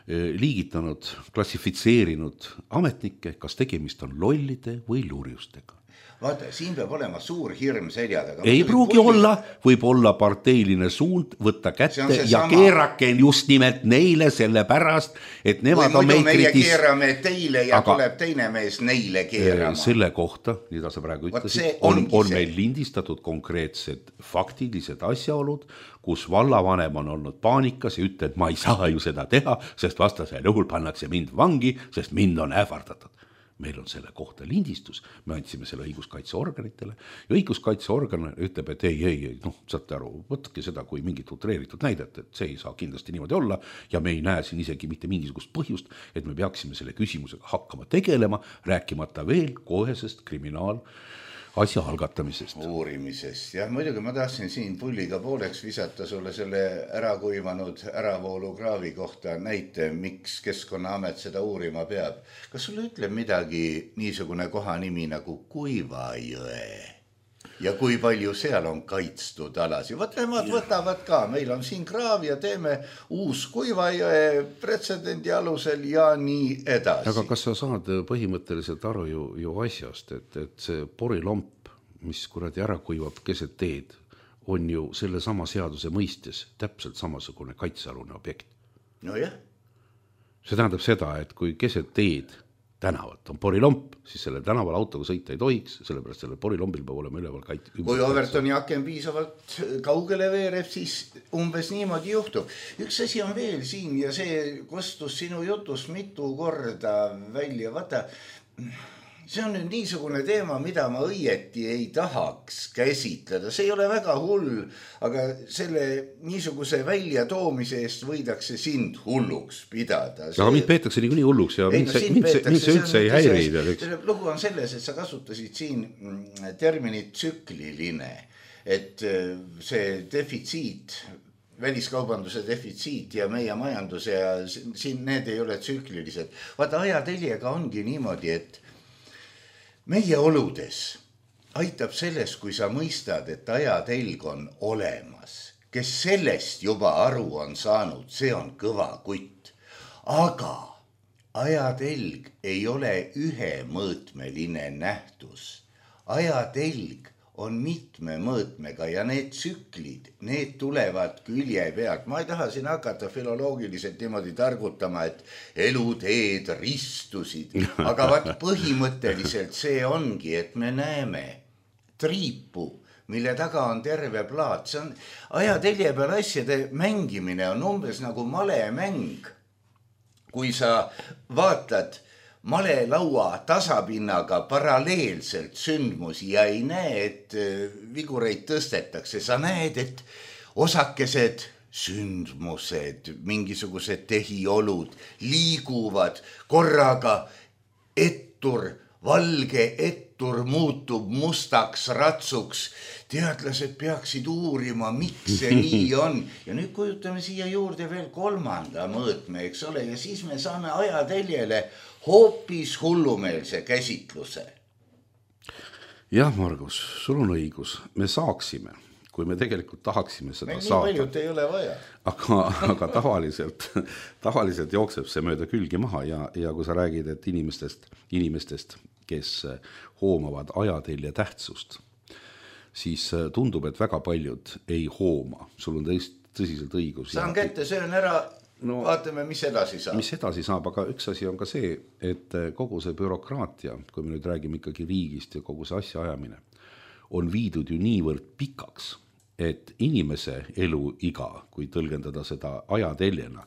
liigitanud, klassifitseerinud ametnikke, kas tegemist on lollide või lurjustega? Vaata, siin peab olema suur hirm selja taga. Ei pruugi olla, võib olla parteiline suund, võtta kätte ja keerake just nimelt neile selle pärast, et nemad on meid meie keerame teile ja tuleb teine mees neile keerama. Selle kohta, mida sa praegu ütlesid, on meil lindistatud konkreetsed faktilised asjaolud, kus vallavanem on olnud paanikas ja ütleb, et ma ei saa ju seda teha, sest vastasel juhul pannakse mind vangi, sest mind on ähvardatud. Meil on selle kohta lindistus, me andsime selle õiguskaitseorganitele ja õiguskaitseorgan ütleb, et ei, saate aru, võtke seda kui mingit utreeritud näidet, et see ei saa kindlasti niimoodi olla ja me ei näe siin isegi mitte mingisugust põhjust, et me peaksime selle küsimusega hakkama tegelema, rääkimata veel kohesest kriminaalasja algatamisest. Uurimisest, jah, muidugi ma tahtsin siin pulliga pooleks visata sulle selle ärakuivanud äravoolukraavi kohta näite, miks Keskkonnaamet seda uurima peab. Kas sulle ütleb midagi niisugune kohanimi nagu Kuivajõe ja kui palju seal on kaitstud alasi? Nemad võtavad ka, meil on siin kraav ja teeme uus Kuivajõe pretsedendi alusel ja nii edasi. Aga kas sa saad põhimõtteliselt aru ju asjast, et see porilomp, mis kuradi ära kuivab keset teed, on ju selle sama seaduse mõistes täpselt samasugune kaitsealune objekt. No jah. See tähendab seda, et kui keset teed tänavat on porilomp, siis selle tänaval autoga sõita ei tohiks, sellepärast selle porilombil peab olema üleval Kui Overtoni aken piisavalt kaugele veereb, siis umbes niimoodi juhtub. Üks asi on veel siin ja see kostus sinu jutus mitu korda välja. Vaata, see on nüüd niisugune teema, mida ma õieti ei tahaks käsitleda. See ei ole väga hull, aga selle niisuguse välja toomise eest võidakse sind hulluks pidada. Aga mind peetakse nii hulluks ja mind see üldse ei häiri. Lugu on selles, et sa kasutasid siin terminit tsükliline, et see defitsiit, väliskaubanduse defitsiit ja meie majanduse ja siin need ei ole tsüklilised. Vaata, ajateljega ongi niimoodi, et meie oludes aitab selles, kui sa mõistad, et ajatelg on olemas. Kes sellest juba aru on saanud, see on kõva kutt. Aga ajatelg ei ole ühemõõtmeline nähtus. Ajatelg on mitme mõõtmega ja need tsüklid, need tulevad külje pealt. Ma ei taha siin hakata filoloogiliselt niimoodi targutama, et eluteed ristusid, aga vaat põhimõtteliselt see ongi, et me näeme triipu, mille taga on terve plaat. See on ajatelje peal asjade mängimine on umbes nagu malemäng. Kui sa vaatad malelaua tasapinnaga paralleelselt sündmusi ja ei näe, et vigureid tõstetakse. Sa näed, et osakesed sündmused, mingisugused tehiolud liiguvad korraga valge ettur muutub mustaks ratsuks. Teadlased peaksid uurima, miks see nii on. Ja nüüd kujutame siia juurde veel kolmanda mõõtme, eks ole, ja siis me saame ajateljele hoopis hullumeelse käsitluse. Jah, Margus, sul on õigus. Me saaksime, kui me tegelikult tahaksime seda meil saada. Meil nii paljud ei ole vaja. Aga tavaliselt jookseb see mööda külgi maha ja kui sa räägid, et inimestest, kes hoomavad ajatelje tähtsust, siis tundub, et väga paljud ei hooma. Sul on tõsiselt õigus. Saan kätte, söön ära. No, vaatame, mis edasi saab. Mis edasi saab, aga üks asi on ka see, et kogu see bürokraatia, kui me nüüd räägime ikkagi riigist ja kogu see asja ajamine, on viidud ju niivõrd pikaks, et inimese eluiga, kui tõlgendada seda ajateljena,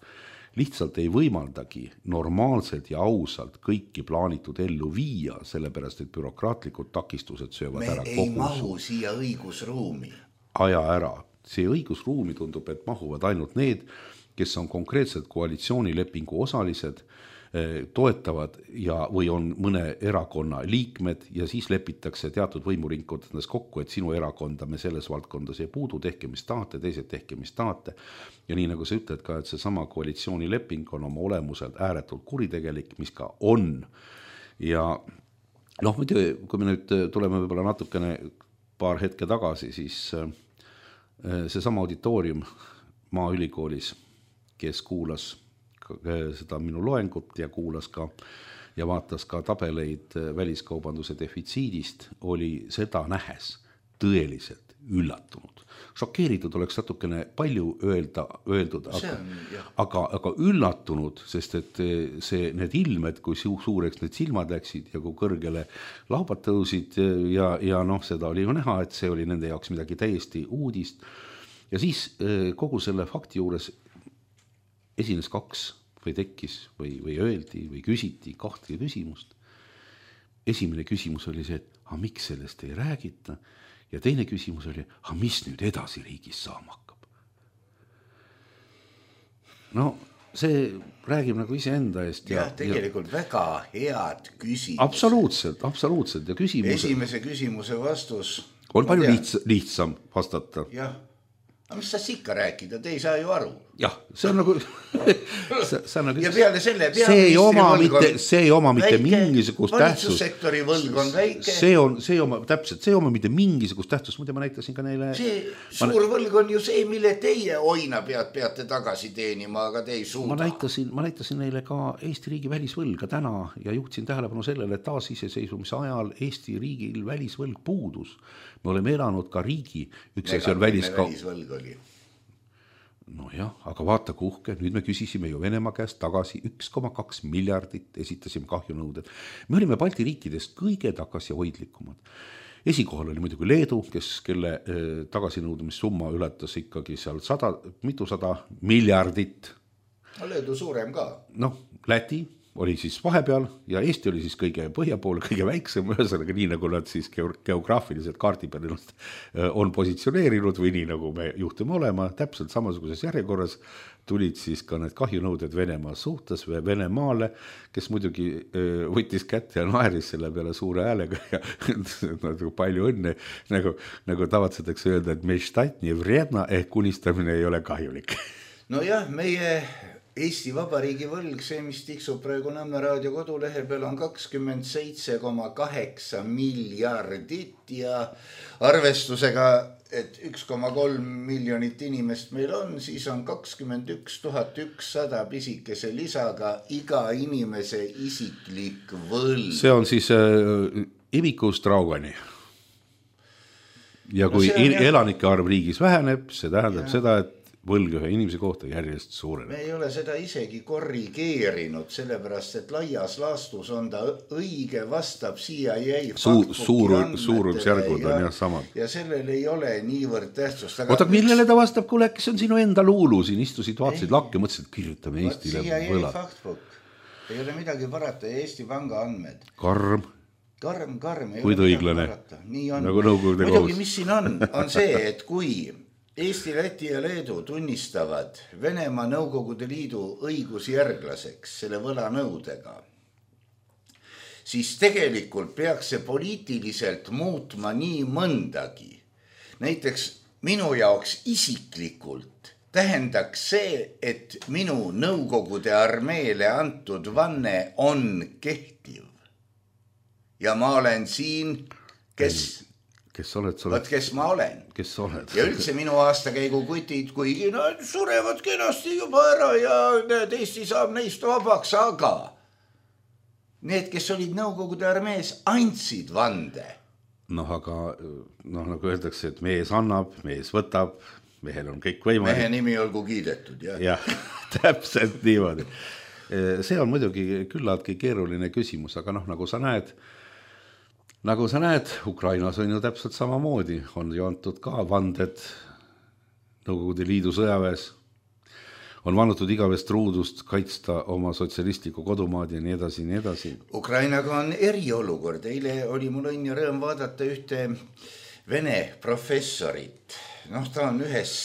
lihtsalt ei võimaldagi normaalselt ja ausalt kõiki plaanitud ellu viia, sellepärast et bürokraatlikud takistused söövad ära kogu. Me ei mahu siia õigusruumi. Aja ära. See õigusruumi tundub, et mahuvad ainult need, kes on konkreetselt koalitsioonilepingu osalised toetavad või on mõne erakonna liikmed ja siis lepitakse teatud võimuringkondades kokku, et sinu erakonda me selles valdkondas ei puudu, tehke mis tahate, teised tehke mis tahate. Ja nii nagu sa ütled ka, et see sama koalitsioonileping on oma olemuselt ääretult kuritegelik, mis ka on. Ja muidu, kui me nüüd tuleme võib-olla natukene paar hetke tagasi, siis see sama auditoorium Maaülikoolis, kes kuulas seda minu loengut ja kuulas ka ja vaatas ka tabeleid väliskaubanduse defitsiidist, oli seda nähes tõeliselt üllatunud. Šokeeritud oleks natukene palju öeldud, aga üllatunud, sest et need ilmed, kui suureks need silmad läksid ja kui kõrgele laubad tõusid ja seda oli ju näha, et see oli nende jaoks midagi täiesti uudist. Ja siis kogu selle fakti juures esines kaks või tekkis või öeldi või küsiti kahte küsimust. Esimene küsimus oli see, et miks sellest ei räägita? Ja teine küsimus oli, mis nüüd edasi riigis saama hakkab? See räägib nagu iseenda eest. Ja tegelikult väga head küsimus. Absoluutselt. Ja esimese küsimuse vastus on palju lihtsam vastata. Jah. Aga mis sa ikka rääkida, te ei saa ju aru. Jah, see on nagu... ja peale selle see ei oma mitte mingisugust tähtsust. Valitsussektori võlg on väike. See ei oma mitte mingisugust tähtsust. Muide, ma näitasin ka neile... Suur võlg on ju see, mille teie oina peate tagasi teenima, aga te ei suuda. Ma näitasin neile ka Eesti riigi välisvõlga täna ja juhtisin tähelepanu sellele, et taasiseseisvumise ajal Eesti riigil välisvõlg puudus. Me oleme elanud ka riigi, üks asi on välisvõlg oli. Aga vaata kuhke, nüüd me küsisime ju Venemaa käest tagasi 1,2 miljardit, esitasime kahjunõuded. Me olime Balti riikidest kõige tagasihoidlikumad. Esikohal oli muidugi Leedu, kelle tagasinõudmissumma ületas ikkagi seal mitusada miljardit. Leedu suurem ka. Läti oli siis vahepeal ja Eesti oli siis kõige põhjapool, kõige väiksem, ühesõnaga nii nagu nad siis geograafiliselt kaardi peal on positsioneerinud või nii nagu me juhtume olema, täpselt samasuguses järjekorras tulid siis ka need kahjunõuded Venemaa suhtes või Venemaale, kes muidugi võttis kätte ja naeris selle peale suure häälega ja palju õnne, nagu tavatsetakse öelda, et meštatni vredna ehk unistamine ei ole kahjulik. Meie Eesti Vabariigi võlg, see mis tiksub praegu Nõmme raadio kodulehe peal on 27,8 miljardit ja arvestusega, et 1,3 miljonit inimest meil on, siis on 21 100 pisikese lisaga iga inimese isiklik võlg. See on siis imikust raugani. Ja kui elanike arv riigis väheneb, see tähendab seda, et võlg ühe inimese kohta järjest suureneb. Me ei ole seda isegi korrigeerinud, sellepärast, et laias laastus on ta õige, vastab CIA suurusjärgud on jah samad. Ja sellel ei ole niivõrd tähtsust. Oota, millele ta vastab, kuule, kes on sinu enda luulu siin, istusid, vaatasid lakke, mõtlesid, et kirjutame Eestile võlad. Ei ole midagi parata, Eesti Panga andmed. Karm. Kuid õiglane. Nagu nõukogude kohus. Muidugi, mis siin on see, et kui Eesti, Läti ja Leedu tunnistavad Venemaa Nõukogude Liidu õigusjärglaseks selle võlanõudega, siis tegelikult peaks see poliitiliselt muutma nii mõndagi. Näiteks minu jaoks isiklikult tähendaks see, et minu Nõukogude armeele antud vanne on kehtiv. Ja ma olen siin, kes ma olen. Kes oled? Ja üldse minu aastakäigu kutid, kuigi nad surevad kenasti juba ära ja Eesti saab neist vabaks, aga need, kes olid Nõukogude armees, andsid vande. Aga nagu öeldakse, et mees annab, mees võtab, mehel on kõik võimalik. Mehe nimi olgu kiidetud, jah. Jah, täpselt niimoodi. See on muidugi küllaltki keeruline küsimus, aga nagu sa näed, Ukrainas on ju täpselt samamoodi, on ju antud ka vanded Nõukogude Liidu sõjaväes, on vannutud igavest ruudust kaitsta oma sotsialistlikku kodumaad ja nii edasi. Ukrainaga on eriolukord, eile oli mul õnn ja rõõm vaadata ühte vene professorit, ta on ühes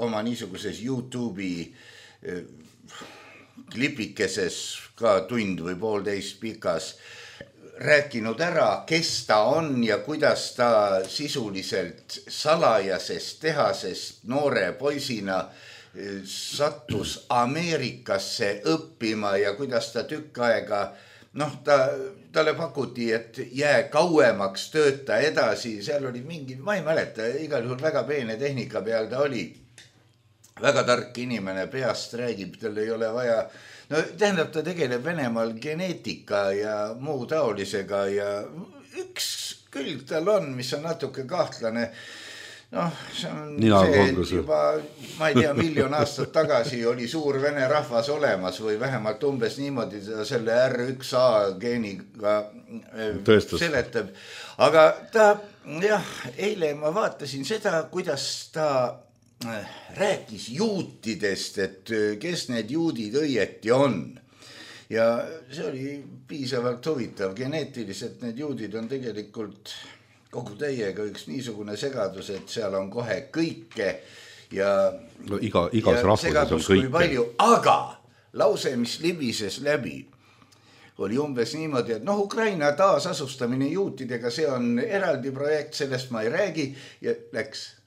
oma niisuguses YouTube'i klipikeses ka tund või poolteist pikas rääkinud ära, kes ta on ja kuidas ta sisuliselt salajasest tehasest noore poisina sattus Ameerikasse õppima ja kuidas ta tükk aega talle pakuti, et jää kauemaks, tööta edasi, seal oli mingi, ma ei mäleta, igal juhul väga peene tehnika peal ta oli. Väga tark inimene, peast räägib, tal ei ole vaja, tähendab, ta tegeleb Venemaal geneetika ja muu taolisega ja üks külg tal on, mis on natuke kahtlane. See on see, et juba, ma ei tea, 1 miljon aastat tagasi oli suur vene rahvas olemas või vähemalt umbes niimoodi selle R1A geeniga seletab. Aga ta, eile ma vaatasin seda, kuidas ta rääkis juutidest, et kes need juudid õieti on. Ja see oli piisavalt huvitav. Geneetiliselt need juudid on tegelikult kogu täiega üks niisugune segadus, et seal on kohe kõike ja igas rahvuses on kõike. Palju, aga lause, mis libises läbi, oli umbes niimoodi, et Ukraina taasasustamine juutidega, see on eraldi projekt, sellest ma ei räägi ja läks.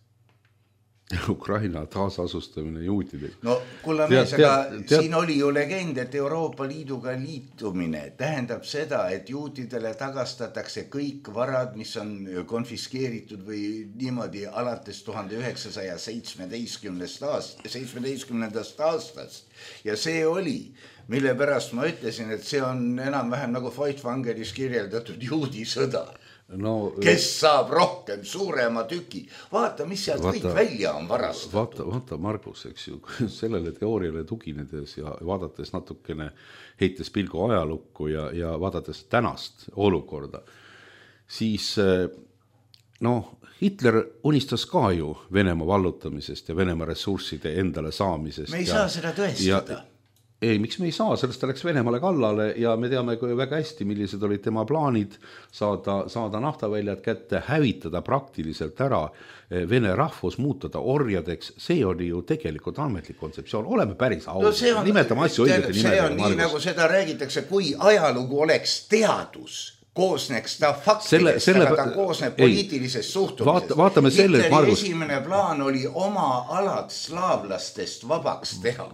Ukraina taasasustamine juutidega. Kulla mees, aga siin oli ju legend, et Euroopa Liiduga liitumine tähendab seda, et juutidele tagastatakse kõik varad, mis on konfiskeeritud või niimoodi alates 1917. aastast. Ja see oli, mille pärast ma ütlesin, et see on enam-vähem nagu Feuchtwangeris kirjeldatud juudi sõda. Kes saab rohkem suurema tüki. Vaata, mis sealt kõik välja on varastatud. Vaata Margus, eks ju, sellele teooriale tuginedes ja vaadates natukene heites pilgu ajalukku ja vaadates tänast olukorda, siis Hitler unistas ka ju Venemaa vallutamisest ja Venemaa ressursside endale saamisest. Me ei saa seda tõestada. Ei, miks me ei saa, sellest ta läks Venemaale kallale ja me teame väga hästi, millised olid tema plaanid saada naftaväljad kätte, hävitada praktiliselt ära Vene rahvus, muutada orjadeks. See oli ju tegelikult ametlik kontseptsioon. Oleme päris ausad. Nimetame asju õigete nimedega. See on nii, nagu seda räägitakse, kui ajalugu oleks teadus. Koosneks ta faktidest, aga ta koosneb poliitilisest suhtumisest. Hitleri esimene plaan oli oma alad slaavlastest vabaks teha.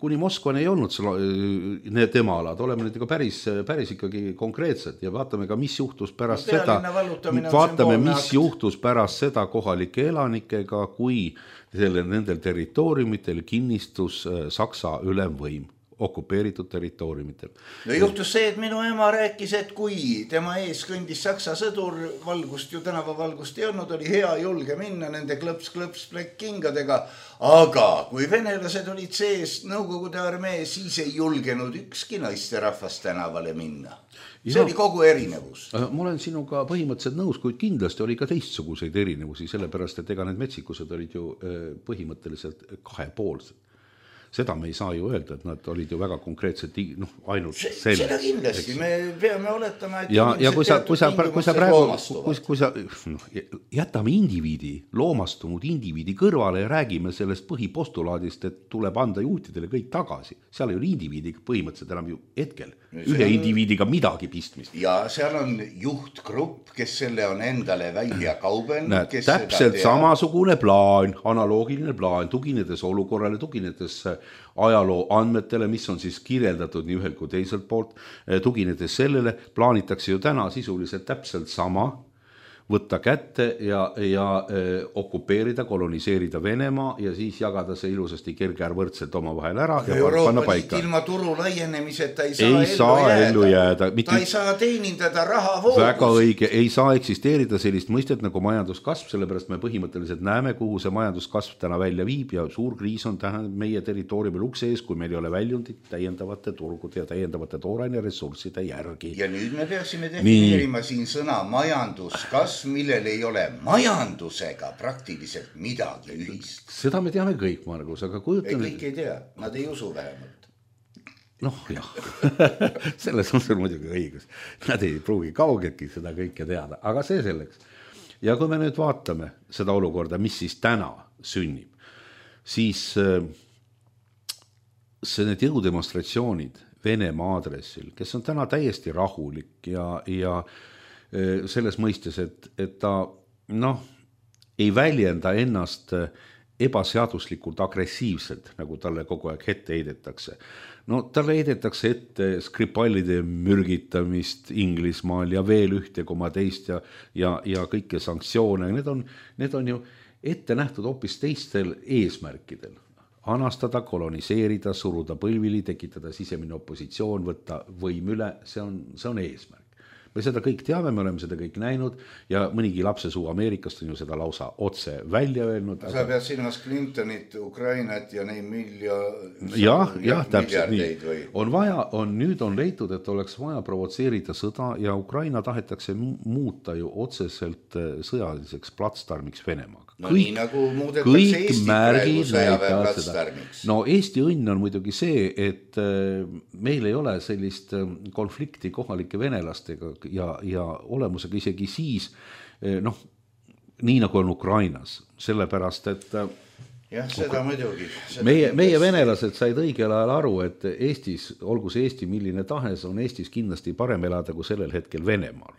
Kuni Moskvani ei olnud need tema alad, oleme nüüd päris ikkagi konkreetsed ja vaatame ka, mis juhtus pärast seda. Vaatame, mis juhtus pärast seda kohalike elanikega, kui nendel territooriumitel kinnistus Saksa ülemvõim okupeeritud territooriumitel. Juhtus see, et minu ema rääkis, et kui tema ees kõndis Saksa sõdur, valgust ju tänavavalgust ei olnud, oli hea julge minna nende klõps kingadega, aga kui venelased olid sees Nõukogude armee, siis ei julgenud ükski naisterahvas tänavale minna. See oli kogu erinevus. Ma olen sinuga põhimõtteliselt nõus, kuid kindlasti oli ka teistsuguseid erinevusi, sellepärast, et ega need metsikused olid ju põhimõtteliselt kahepoolsed. Seda me ei saa ju öelda, et nad olid ju väga konkreetselt ainult selles. Seda kindlasti, me peame oletama, et ja kui sa jätame indiviidi, loomastunud indiviidi kõrvale ja räägime sellest põhipostulaadist, et tuleb anda juutidele kõik tagasi. Seal ei ole indiviidiga põhimõtteliselt enam ju hetkel ühe indiviidiga midagi pistmist. Ja seal on juhtgrupp, kes selle on endale välja kaubelnud. Täpselt samasugune plaan, analoogiline plaan, tuginedes olukorrale, tuginedes ajaloo andmetele, mis on siis kirjeldatud nii ühelt kui teiselt poolt, tuginedes sellele, plaanitakse ju täna sisuliselt täpselt sama, võtta kätte ja okupeerida, koloniseerida Venemaa ja siis jagada see ilusasti kergeärvõrdselt oma vahel ära ja panna paika. Ilma turu laienemiseta ei saa ellu jääda. Ta ei saa teenindada rahavoogus. Väga õige, ei saa eksisteerida sellist mõistet nagu majanduskasv, sellepärast me põhimõtteliselt näeme, kuhu see majanduskasv täna välja viib ja suur kriis on meie territooriumil ukse ees, kui meil ei ole väljundit täiendavate turgude ja täiendavate tooraine ressursside järgi. Ja nüüd me peaksime defineerima siin sõna majanduskasv, millel ei ole majandusega praktiliselt midagi ühist. Seda me teame kõik, Margus, aga kujutame... Kõik ei tea, nad ei usu vähemalt. Jah, selles on sul muidugi õigus. Nad ei pruugi kaugeltki seda kõike teada, aga see selleks. Ja kui me nüüd vaatame seda olukorda, mis siis täna sünnib, siis see need jõudemonstratsioonid Venemaa aadressil, kes on täna täiesti rahulik ja selles mõistes, et ta ei väljenda ennast ebaseaduslikult agressiivselt, nagu talle kogu aeg ette heidetakse. No talle heidetakse ette Skripalide mürgitamist Inglismaal ja veel 1,2 ja kõike sanktsioone. Need on ju ette nähtud hoopis teistel eesmärkidel. Anastada, koloniseerida, suruda põlvili, tekitada sisemine opositsioon, võtta võim üle, see on eesmärk. Me seda kõik teame, me oleme seda kõik näinud ja mõnigi lapsesuu Ameerikast on ju seda lausa otse välja öelnud. Sa pead silmas Clintonit, Ukrainat ja neid miljardeid või? Nüüd on leitud, et oleks vaja provotseerida sõda ja Ukraina tahetakse muuta ju otseselt sõjaliseks platsdarmiks Venemaaga. No nii nagu muudetakse Eesti praegu sõjaväe platsdarmiks. No Eesti õnn on muidugi see, et meil ei ole sellist konflikti kohalike venelastega ja olemusega isegi siis, nii nagu on Ukrainas, sellepärast, et jah, seda muidugi. Meie venelased said õigel ajal aru, et Eestis, olgu see Eesti milline tahes, on Eestis kindlasti parem elada kui sellel hetkel Venemaal.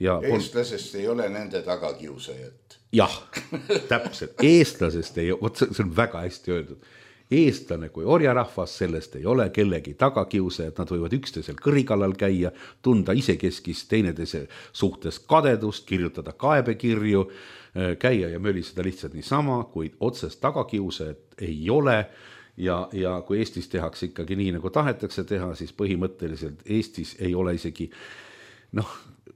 Eestlasest ei ole nende tagakiusajat. Jah, täpselt. Eestlasest ei ole, see on väga hästi öeldud. Eestlane kui orjarahvas, sellest ei ole kellegi tagakiusajad, nad võivad üksteisel kõrikallal käia, tunda isekeskis teineteise suhtes kadedust, kirjutada kaebekirju, käia ja möliseda lihtsalt niisama, kuid otsest tagakiusajat ei ole ja kui Eestis tehakse ikkagi nii, nagu tahetakse teha, siis põhimõtteliselt Eestis ei ole isegi,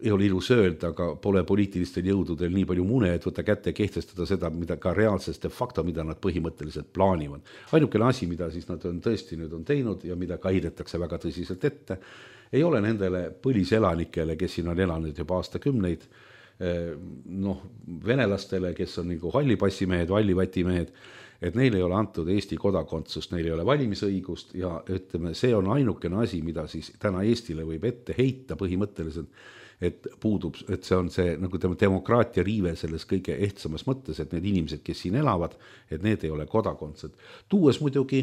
ei ole ilus öelda, aga pole poliitilistel jõududel nii palju mune, et võtta kätte ja kehtestada seda, mida ka reaalses de facto, mida nad põhimõtteliselt plaanivad. Ainukene asi, mida siis nad on tõesti nüüd on teinud ja mida ka heidetakse väga tõsiselt ette, ei ole nendele põliselanikele, kes siin on elanud juba aastakümneid, venelastele, kes on nagu hallipassimehed, vallivatimehed, et neil ei ole antud Eesti kodakondsust, neil ei ole valimisõigust ja ütleme, see on ainukene asi, mida siis täna Eestile võib ette heita põhimõtteliselt, et puudub, et see on see nagu demokraatia riive selles kõige ehtsamas mõttes, et need inimesed, kes siin elavad, et need ei ole kodakondsed. Tuues muidugi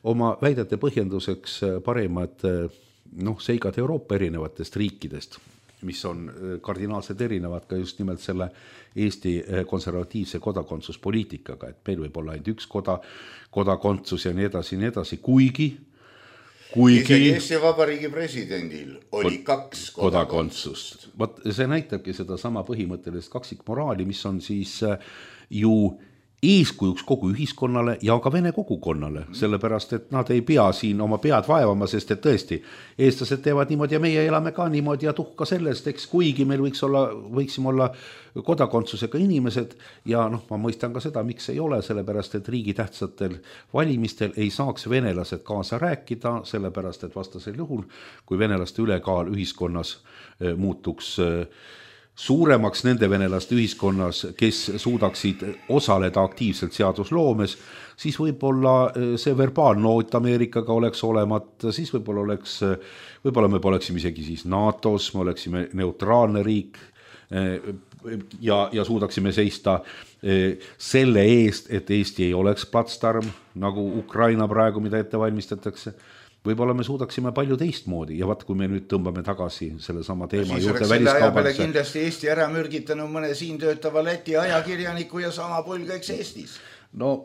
oma väidete põhjenduseks parimad seigad Euroopa erinevatest riikidest, mis on kardinaalselt erinevad ka just nimelt selle Eesti konservatiivse kodakondsuspoliitikaga, et meil võib olla ainult üks kodakondsus ja nii edasi, kuigi isegi Eesti Vabariigi presidendil oli 2 kodakondsust. See näitabki seda sama põhimõttelist kaksikmoraali, mis on siis ju eeskujuks kogu ühiskonnale ja ka vene kogukonnale, sellepärast, et nad ei pea siin oma pead vaevama, sest et tõesti, eestlased teevad niimoodi ja meie elame ka niimoodi ja tuhka sellest, eks kuigi meil võiksime olla kodakondsusega inimesed ja ma mõistan ka seda, miks ei ole, sellepärast, et riigi tähtsatel valimistel ei saaks venelased kaasa rääkida, sellepärast, et vastasel juhul, kui venelaste ülekaal ühiskonnas muutuks suuremaks nende venelaste ühiskonnas, kes suudaksid osaleda aktiivselt seadusloomes, siis võib-olla see verbaalnoot Ameerikaga oleks olemata, siis võib-olla me poleksime isegi siis NATO-s, me oleksime neutraalne riik ja suudaksime seista selle eest, et Eesti ei oleks platsdarm, nagu Ukraina praegu, mida ette valmistatakse. Võib-olla me suudaksime palju teistmoodi ja kui me nüüd tõmbame tagasi selle sama teema juurde väliskaubanduse. Kindlasti Eesti ära mürgitanud mõne siin töötava Läti ajakirjaniku ja sama polgaiks Eestis. No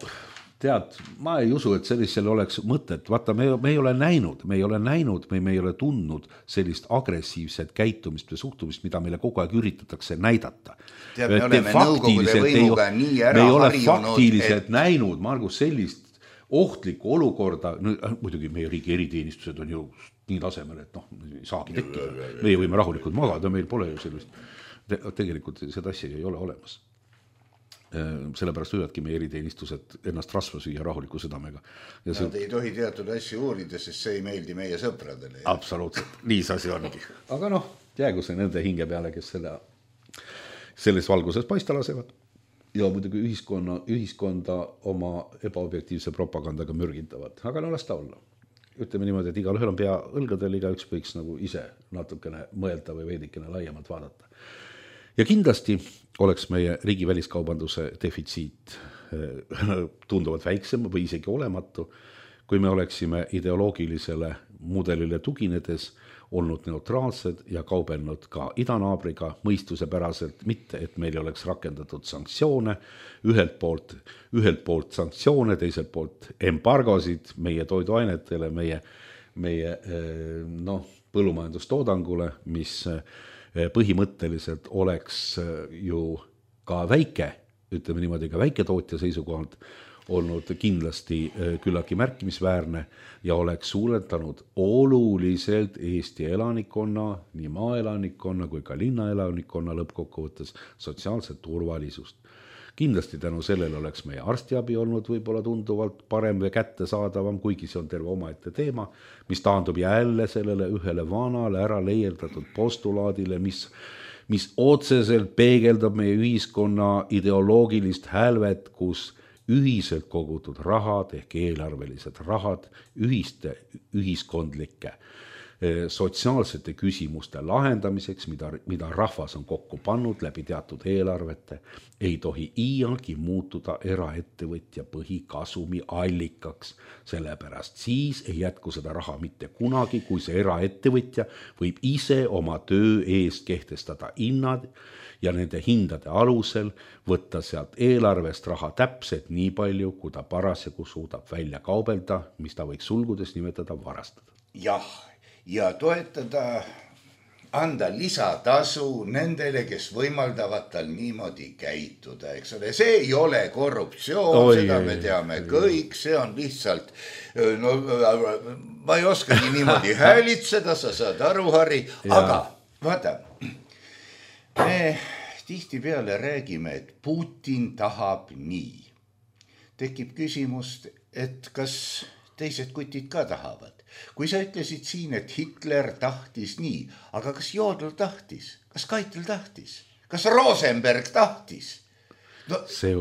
tead, ma ei usu, et sellisel oleks mõtet. Vaata, me ei ole näinud, me ei ole tundnud sellist agressiivset käitumist või suhtumist, mida meile kogu aeg üritatakse näidata. Me oleme nõukogude võimuga nii ära harjunud. Me ei ole faktiliselt näinud, Margus, sellist ohtlikku olukorda, muidugi meie riigi eriteenistused on ju nii tasemel, et ei saagi tekkida. Meie võime rahulikult magada, meil pole ju sellist, tegelikult seda asja ei ole olemas. Sellepärast võivadki meie eriteenistused ennast rasva süüa rahuliku südamega. Nad ei tohi teatud asju uurida, sest see ei meeldi meie sõpradele. Absoluutselt, nii see asi ongi. Aga jäägu see nende hinge peale, kes selles valguses paista lasevad. Ja muidugi ühiskonda oma ebaobjektiivse propagandaga mürgitavad. Aga las ta olla. Ütleme niimoodi, et igal ühel on pea õlgadel, igaüks võiks nagu ise natukene mõelda või veidikene laiemalt vaadata. Ja kindlasti oleks meie riigi väliskaubanduse defitsiit tunduvalt väiksem või isegi olematu, kui me oleksime ideoloogilisele mudelile tuginedes olnud neutraalsed ja kaubelnud ka idanaabriga mõistusepäraselt, mitte et meil oleks rakendatud sanktsioone, ühelt poolt sanktsioone, teiselt poolt embargosid meie toiduainetele, meie põllumajandustoodangule, mis põhimõtteliselt oleks ju ka väike, ütleme niimoodi ka väiketootja seisukohalt, olnud kindlasti küllagi märkimisväärne ja oleks suurendanud oluliselt Eesti elanikkonna, nii maaelanikkonna kui ka linnaelanikkonna lõppkokkuvõttes sotsiaalset turvalisust. Kindlasti tänu sellele oleks meie arstiabi olnud võib-olla tunduvalt parem või kättesaadavam, kuigi see on terve omaette teema, mis taandub jälle sellele ühele vanale ära leierdatud postulaadile, mis otseselt peegeldab meie ühiskonna ideoloogilist hälvet, kus ühiselt kogutud rahad ehk eelarvelised rahad ühiste ühiskondlike sotsiaalsete küsimuste lahendamiseks, mida rahvas on kokku pannud läbi teatud eelarvete, ei tohi iialgi muutuda eraettevõtja põhikasumi allikaks. Sellepärast siis ei jätku seda raha mitte kunagi, kui see eraettevõtja võib ise oma töö eest kehtestada hinnad ja nende hindade alusel võtta sealt eelarvest raha täpselt nii palju, kui ta parasjagu suudab välja kaubelda, mis ta võiks sulgudes nimetada varastada. Jah, ja toetada, anda lisatasu nendele, kes võimaldavad tal niimoodi käituda, eks ole. See ei ole korruptsioon, seda me teame kõik, see on lihtsalt, ma ei oskagi niimoodi häälitseda, sa saad aru, Harri, aga vaata, me tihtipeale räägime, et Putin tahab nii. Tekib küsimust, et kas teised kutid ka tahavad. Kui sa ütlesid siin, et Hitler tahtis nii, aga kas Jodl tahtis? Kas Keitel tahtis? Kas Rosenberg tahtis? No,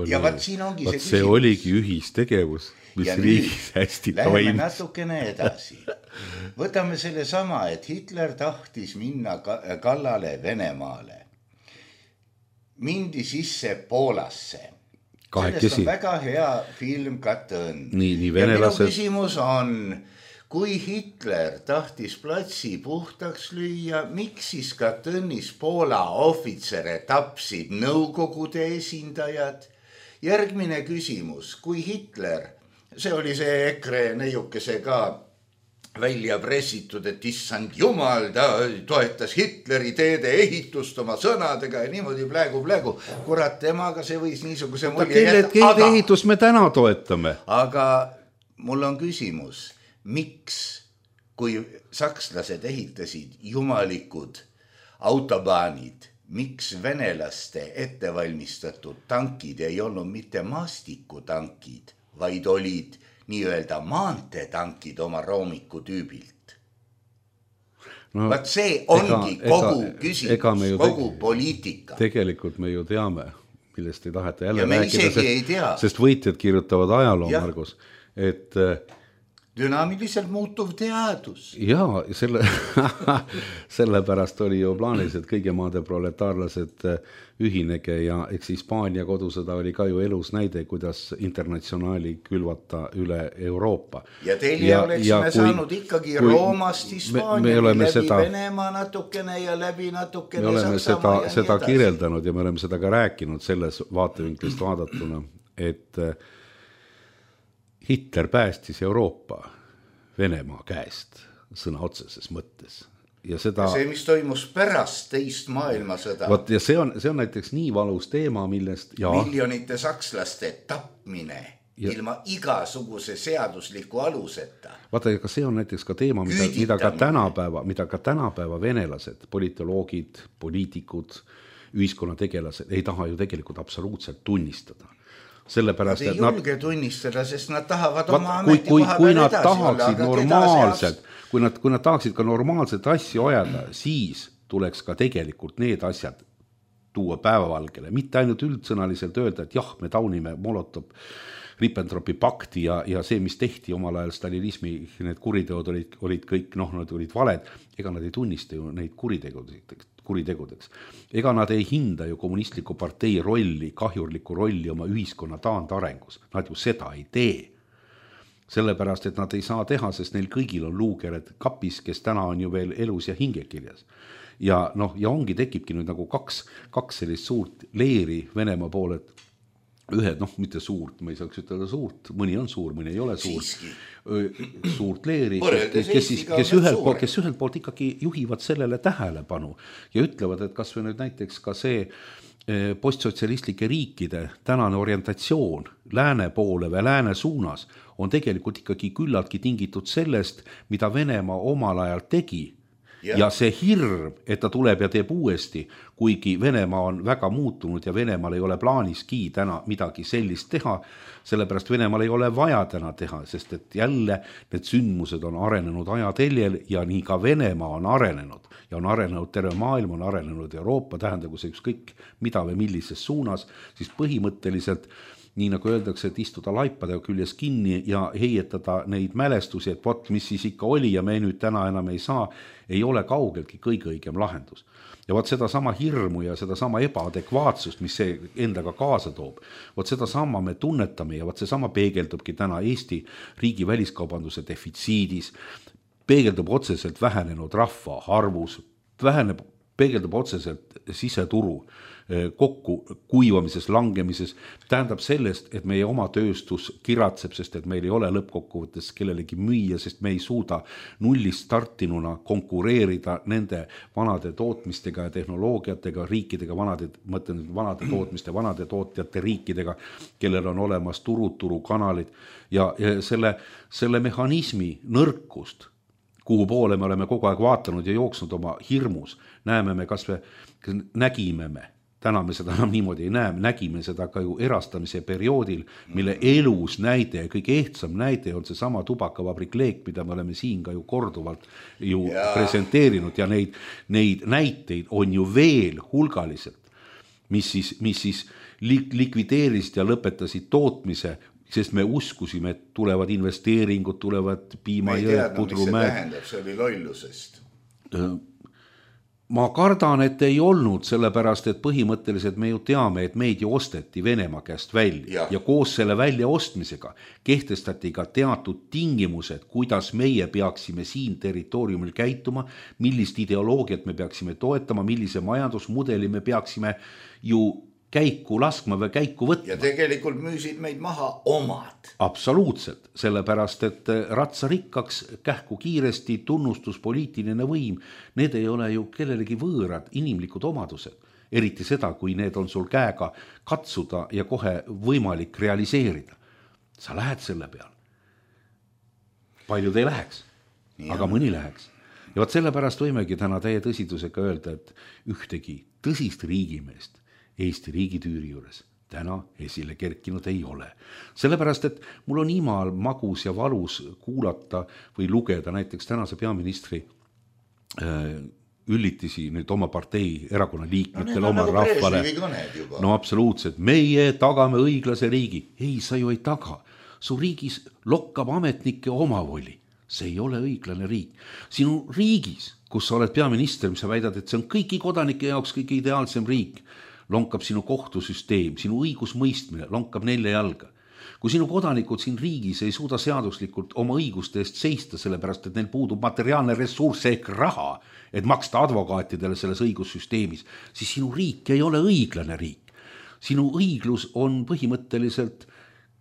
ja vaat siin ongi see küsimus. See oligi ühistegevus, mis riigis hästi toimis. Läheme natukene edasi. Võtame selle sama, et Hitler tahtis minna kallale Venemaale. Mindi sisse Poolasse. Sellest on väga hea film Katõn. Nii ja minu küsimus on, kui Hitler tahtis platsi puhtaks lüüa, miks siis Katõnis Poola ohvitsere tapsid Nõukogude esindajad? Järgmine küsimus, kui Hitler, see oli see EKRE neiukese ka välja pressitud, et issand jumal, ta toetas Hitleri teede ehitust oma sõnadega ja niimoodi plägu. Kurat, temaga see võis niisuguse mulje jätta. Teede ehitust me täna toetame. Aga mul on küsimus, miks, kui sakslased ehitasid jumalikud autobaanid, miks venelaste ettevalmistatud tankid ei olnud mitte maastikutankid, vaid olid nii-öelda maanteetankid oma roomiku tüübilt. No, vaat see ongi kogu küsimus, kogu poliitika. Tegelikult me ju teame, millest ei taheta jälle ja me isegi ei tea. Sest võitjad kirjutavad ajaloo, Margus, et dünaamiliselt muutuv teadus. Jaa, sellepärast oli ju plaanis, et kõigi maade proletaarlased ühinege ja eks Hispaania kodusõda oli ka ju elus näide, kuidas internatsionaali külvata üle Euroopa. Ja teile oleksime saanud ikkagi Roomast Hispaania läbi Venemaa natukene ja läbi natukene me oleme Saksamaa ja seda kirjeldanud ja me oleme seda ka rääkinud selles vaatevinklist vaadatuna, et Hitler päästis Euroopa Venemaa käest sõna otseses mõttes. Ja see, mis toimus pärast teist maailmasõda. Ja see on näiteks nii valus teema, millest miljonite sakslaste tapmine ilma igasuguse seadusliku aluseta. Vaata, aga see on näiteks ka teema, mida ka tänapäeva venelased, politoloogid, poliitikud, ühiskonnategelased ei taha ju tegelikult absoluutselt tunnistada. Nad ei julge tunnistada, sest nad tahavad oma ametikoha peal edasi olla. Kui nad tahaksid ka normaalset asju ajada, siis tuleks ka tegelikult need asjad tuua päevavalgele. Mitte ainult üldsõnaliselt öelda, et jah, me taunime Molotov-Ribbentropi pakti ja see, mis tehti omal ajal stalinismi, need kuriteod olid kõik, nad olid valed, ega nad ei tunnista ju neid kuritegudeks. Ega nad ei hinda ju kommunistliku partei rolli, kahjurlikku rolli oma ühiskonna taandarengus. Nad ju seda ei tee. sellepärast, et nad ei saa teha, sest neil kõigil on luukered kapis, kes täna on ju veel elus ja hingekirjas. Ja ongi tekibki nüüd nagu kaks sellist suurt leeri Venemaa poole, et ühed, mitte suurt, ma ei saaks ütelda suurt, mõni on suur, mõni ei ole suur, suurt leeri, kes ühelt poolt ikkagi juhivad sellele tähelepanu ja ütlevad, et kas või nüüd näiteks ka see postsotsialistlike riikide tänane orientatsioon lääne poole või lääne suunas on tegelikult ikkagi küllaltki tingitud sellest, mida Venemaa omal ajal tegi. Ja see hirm, et ta tuleb ja teeb uuesti, kuigi Venemaa on väga muutunud ja Venemaal ei ole plaaniski täna midagi sellist teha, sellepärast Venemaal ei ole vaja täna teha, sest et jälle need sündmused on arenenud ajateljel ja nii ka Venemaa on arenenud. Ja on arenenud terve maailm, on arenenud Euroopa, tähendagu see ükskõik mida või millises suunas, siis põhimõtteliselt nii nagu öeldakse, et istuda laipadega küljes kinni ja heietada neid mälestusi, et vot, mis siis ikka oli ja me nüüd täna enam ei saa, ei ole kaugeltki kõige õigem lahendus. Ja vot seda sama hirmu ja seda sama ebaadekvaatsust, mis see endaga kaasa toob, vot seda sama me tunnetame ja vot see sama peegeldubki täna Eesti riigi väliskaubanduse defitsiidis, peegeldub otseselt vähenenud rahva arvus, peegeldub otseselt siseturu kokku kuivamises, langemises, tähendab sellest, et meie oma tööstus kiratseb, sest et meil ei ole lõppkokkuvõttes kellelegi müüa, sest me ei suuda nullist startinuna konkureerida nende vanade tootmistega ja tehnoloogiatega, riikidega, vanade tootmiste, vanade tootjate riikidega, kellel on olemas turukanalid ja selle mehhanismi nõrkust, kuhu poole me oleme kogu aeg vaatanud ja jooksnud oma hirmus, nägime me, täna me seda enam niimoodi ei näe, nägime seda ka ju erastamise perioodil, mille elus näide, kõige ehtsam näide on see sama tubakavabrik Leek, mida me oleme siin ka ju korduvalt ju presenteerinud ja neid näiteid on ju veel hulgaliselt, mis siis likvideerisid ja lõpetasid tootmise, sest me uskusime, et tulevad investeeringud, tulevad piimajõed, pudrumäed. Me ei teadnud, mis see tähendab, see oli lollusest. Ma kardan, et ei olnud, sellepärast, et põhimõtteliselt me ju teame, et meid ju osteti Venemaa käest välja ja koos selle välja ostmisega kehtestati ka teatud tingimused, kuidas meie peaksime siin territooriumil käituma, millist ideoloogiat me peaksime toetama, millise majandusmudeli me peaksime ju käiku laskma või käiku võtma. Ja tegelikult müüsid meid maha omad. Absoluutselt, sellepärast, et ratsarikkaks kähku kiiresti tunnustus poliitiline võim, need ei ole ju kellelegi võõrad inimlikud omadused, eriti seda, kui need on sul käega katsuda ja kohe võimalik realiseerida. Sa lähed selle peal. Paljud ei läheks, aga mõni läheks. Ja võt sellepärast võimegi täna täie tõsidusega öelda, et ühtegi tõsist riigimeest Eesti riigitüüri juures täna esile kerkinud ei ole. Sellepärast, et mul on imal magus ja valus kuulata või lugeda näiteks tänase peaministri üllitisi nüüd oma partei erakonna liikmetele, oma rahvale. No absoluutselt, meie tagame õiglase riigi. Ei, sa ju ei taga. Su riigis lokkab ametnike omavoli. See ei ole õiglane riik. Sinu riigis, kus sa oled peaminister, mis sa väidad, et see on kõigi kodanike jaoks kõige ideaalsem riik, lonkab sinu kohtusüsteem, sinu õigusmõistmine, lonkab 4 jalga. Kui sinu kodanikud siin riigis ei suuda seaduslikult oma õiguste eest seista, sellepärast, et neil puudub materiaalne ressurss ehk raha, et maksta advokaatidele selles õigussüsteemis, siis sinu riik ei ole õiglane riik. Sinu õiglus on põhimõtteliselt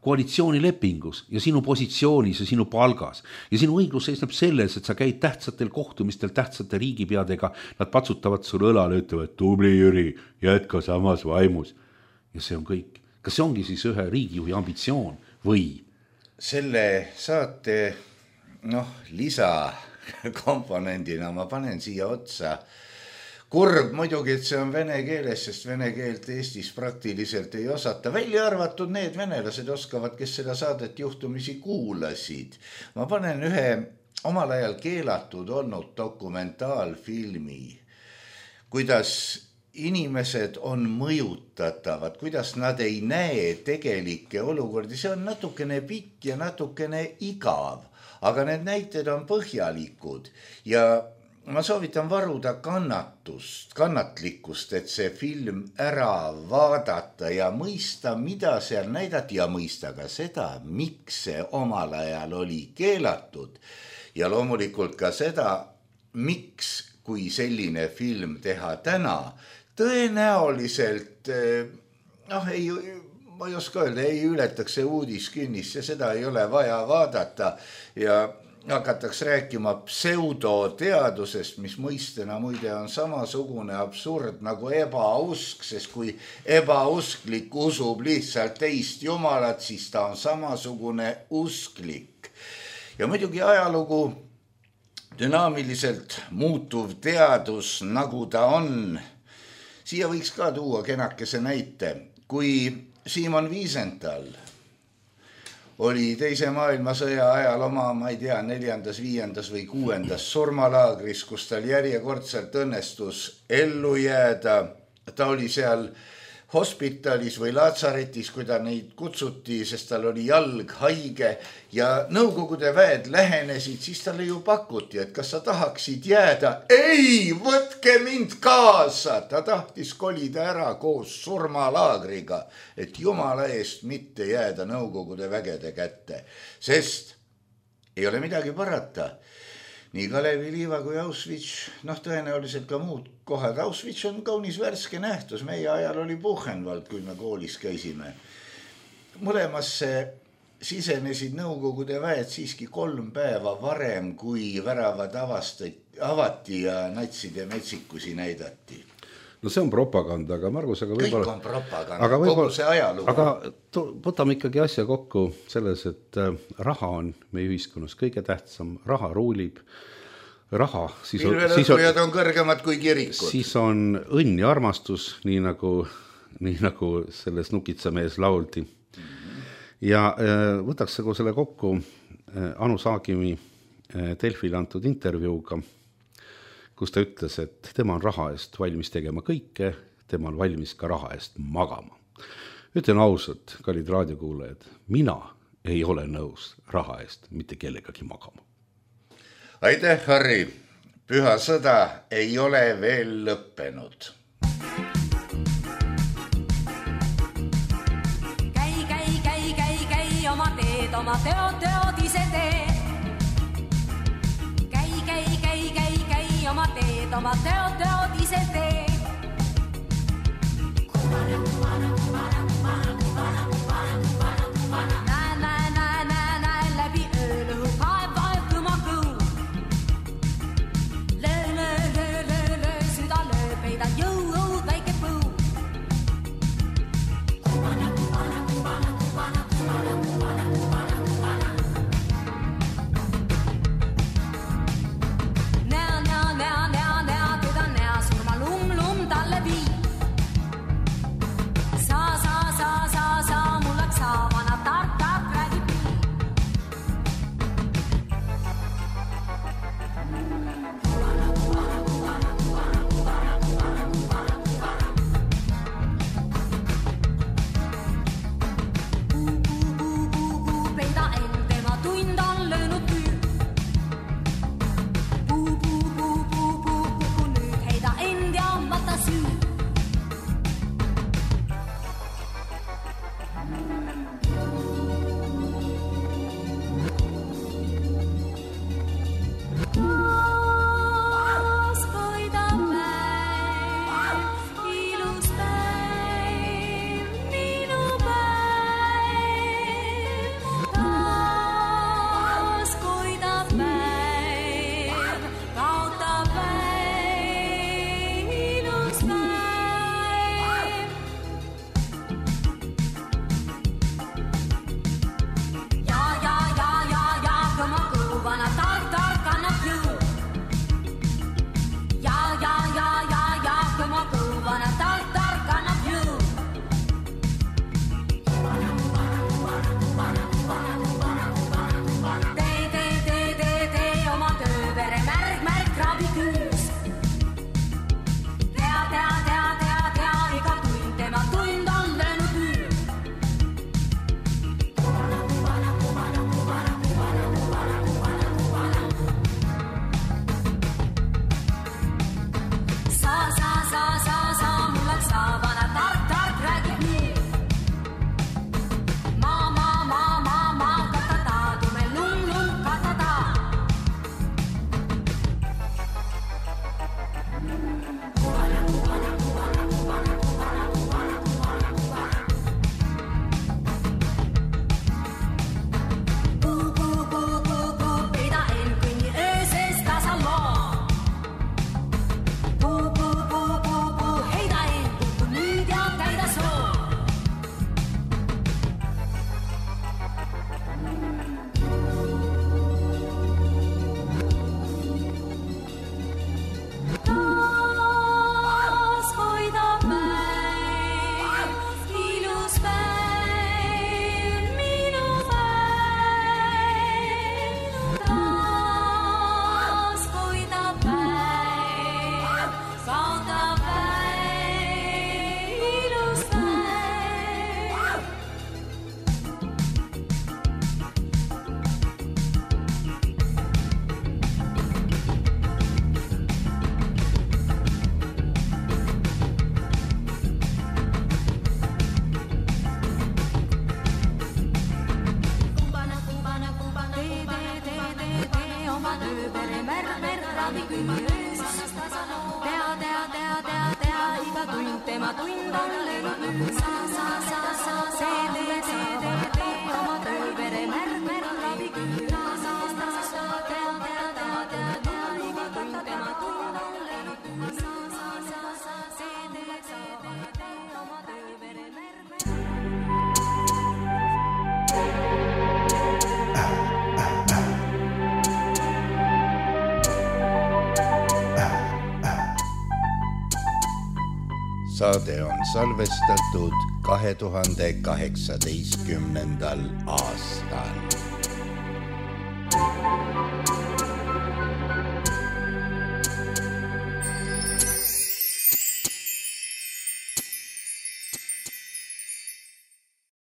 koalitsioonilepingus ja sinu positsioonis ja sinu palgas. Ja sinu õiglus seisneb selles, et sa käid tähtsatel kohtumistel tähtsate riigipeadega, nad patsutavad sul õlale, ütlevad, tubli Jüri, jätka samas vaimus. Ja see on kõik. Kas see ongi siis ühe riigijuhi ambitsioon või? Selle saate lisakomponendina ma panen siia otsa. Kurb muidugi, et see on vene keeles, sest vene keelt Eestis praktiliselt ei osata. Välja arvatud need venelased oskavad, kes seda saadet juhtumisi kuulasid. Ma panen ühe omal ajal keelatud olnud dokumentaalfilmi, kuidas inimesed on mõjutatavad, kuidas nad ei näe tegelikke olukordi. See on natukene pikk ja natukene igav, aga need näited on põhjalikud ja ma soovitan varuda kannatlikkust, et see film ära vaadata ja mõista, mida seal näidati ja mõista ka seda, miks see omal ajal oli keelatud ja loomulikult ka seda, miks, kui selline film teha täna, tõenäoliselt, ma ei oska öelda, ei ületaks see uudiskünnist ja seda ei ole vaja vaadata ja hakatakse rääkima pseudoteadusest, mis mõistena muide on samasugune absurd nagu ebausk, sest kui ebausklik usub lihtsalt teist jumalat, siis ta on samasugune usklik. Ja muidugi ajalugu dünaamiliselt muutuv teadus, nagu ta on. Siia võiks ka tuua kenakese näite, kui Simon Wiesenthal oli teise maailmasõja ajal oma, ma ei tea, 4., 5. või 6. surmalaagris, kus tal järjekordselt õnnestus ellu jääda. Ta oli seal hospitalis või laatsaretis, kui ta neid kutsuti, sest tal oli jalg haige ja Nõukogude väed lähenesid, siis talle ju pakuti, et kas sa tahaksid jääda. Ei, võtke mind kaasa! Ta tahtis kolida ära koos surmalaagriga, et jumala eest mitte jääda Nõukogude vägede kätte, sest ei ole midagi parata. Nii Kalevi Liiva kui Auschwitz, tõenäoliselt ka muud kohad. Auschwitz on kaunis värske nähtus. Meie ajal oli Buchenwald, kui me koolis käisime. Mõlemasse sisenesid Nõukogude väed siiski 3 päeva varem, kui väravad avati ja natside metsikusi näidati. No see on propaganda, aga Margus, kõik on propaganda, kogu see ajalugu. Aga võtame ikkagi asja kokku selles, et raha on meie ühiskonnas kõige tähtsam, raha ruulib, raha, pilvelõhkujad on kõrgemad kui kirikud. Siis on õnn ja armastus, nii nagu selles Nukitsamees lauldi. Ja võtaks selle kokku Anu Saagimi Delfile antud intervjuuga, kus ta ütles, et tema on raha eest valmis tegema kõike, tema on valmis ka raha eest magama. Ütlen ausalt, kallid raadiokuulajad, mina ei ole nõus raha eest mitte kellegagi magama. Aitäh, Harri! Püha sõda ei ole veel lõppenud. Käi, oma teod ise tee. Käi, oma teod ise tee. Näe, läbi ööluhu vaevalduma kuu. Löö, süda löö, peida jõu, väike puu. Näo, teda näo, surma lum talle vii. Sa tööpere märmer ravi küünöös. Tea, iga tund tema tund on löönud nüüd. Tee, oma tööpere märmer ravi küünöös. Tea, iga tund tema tund on löönud nüüd. Oma tööpere märmer. Saade on salvestatud 2018. aastal.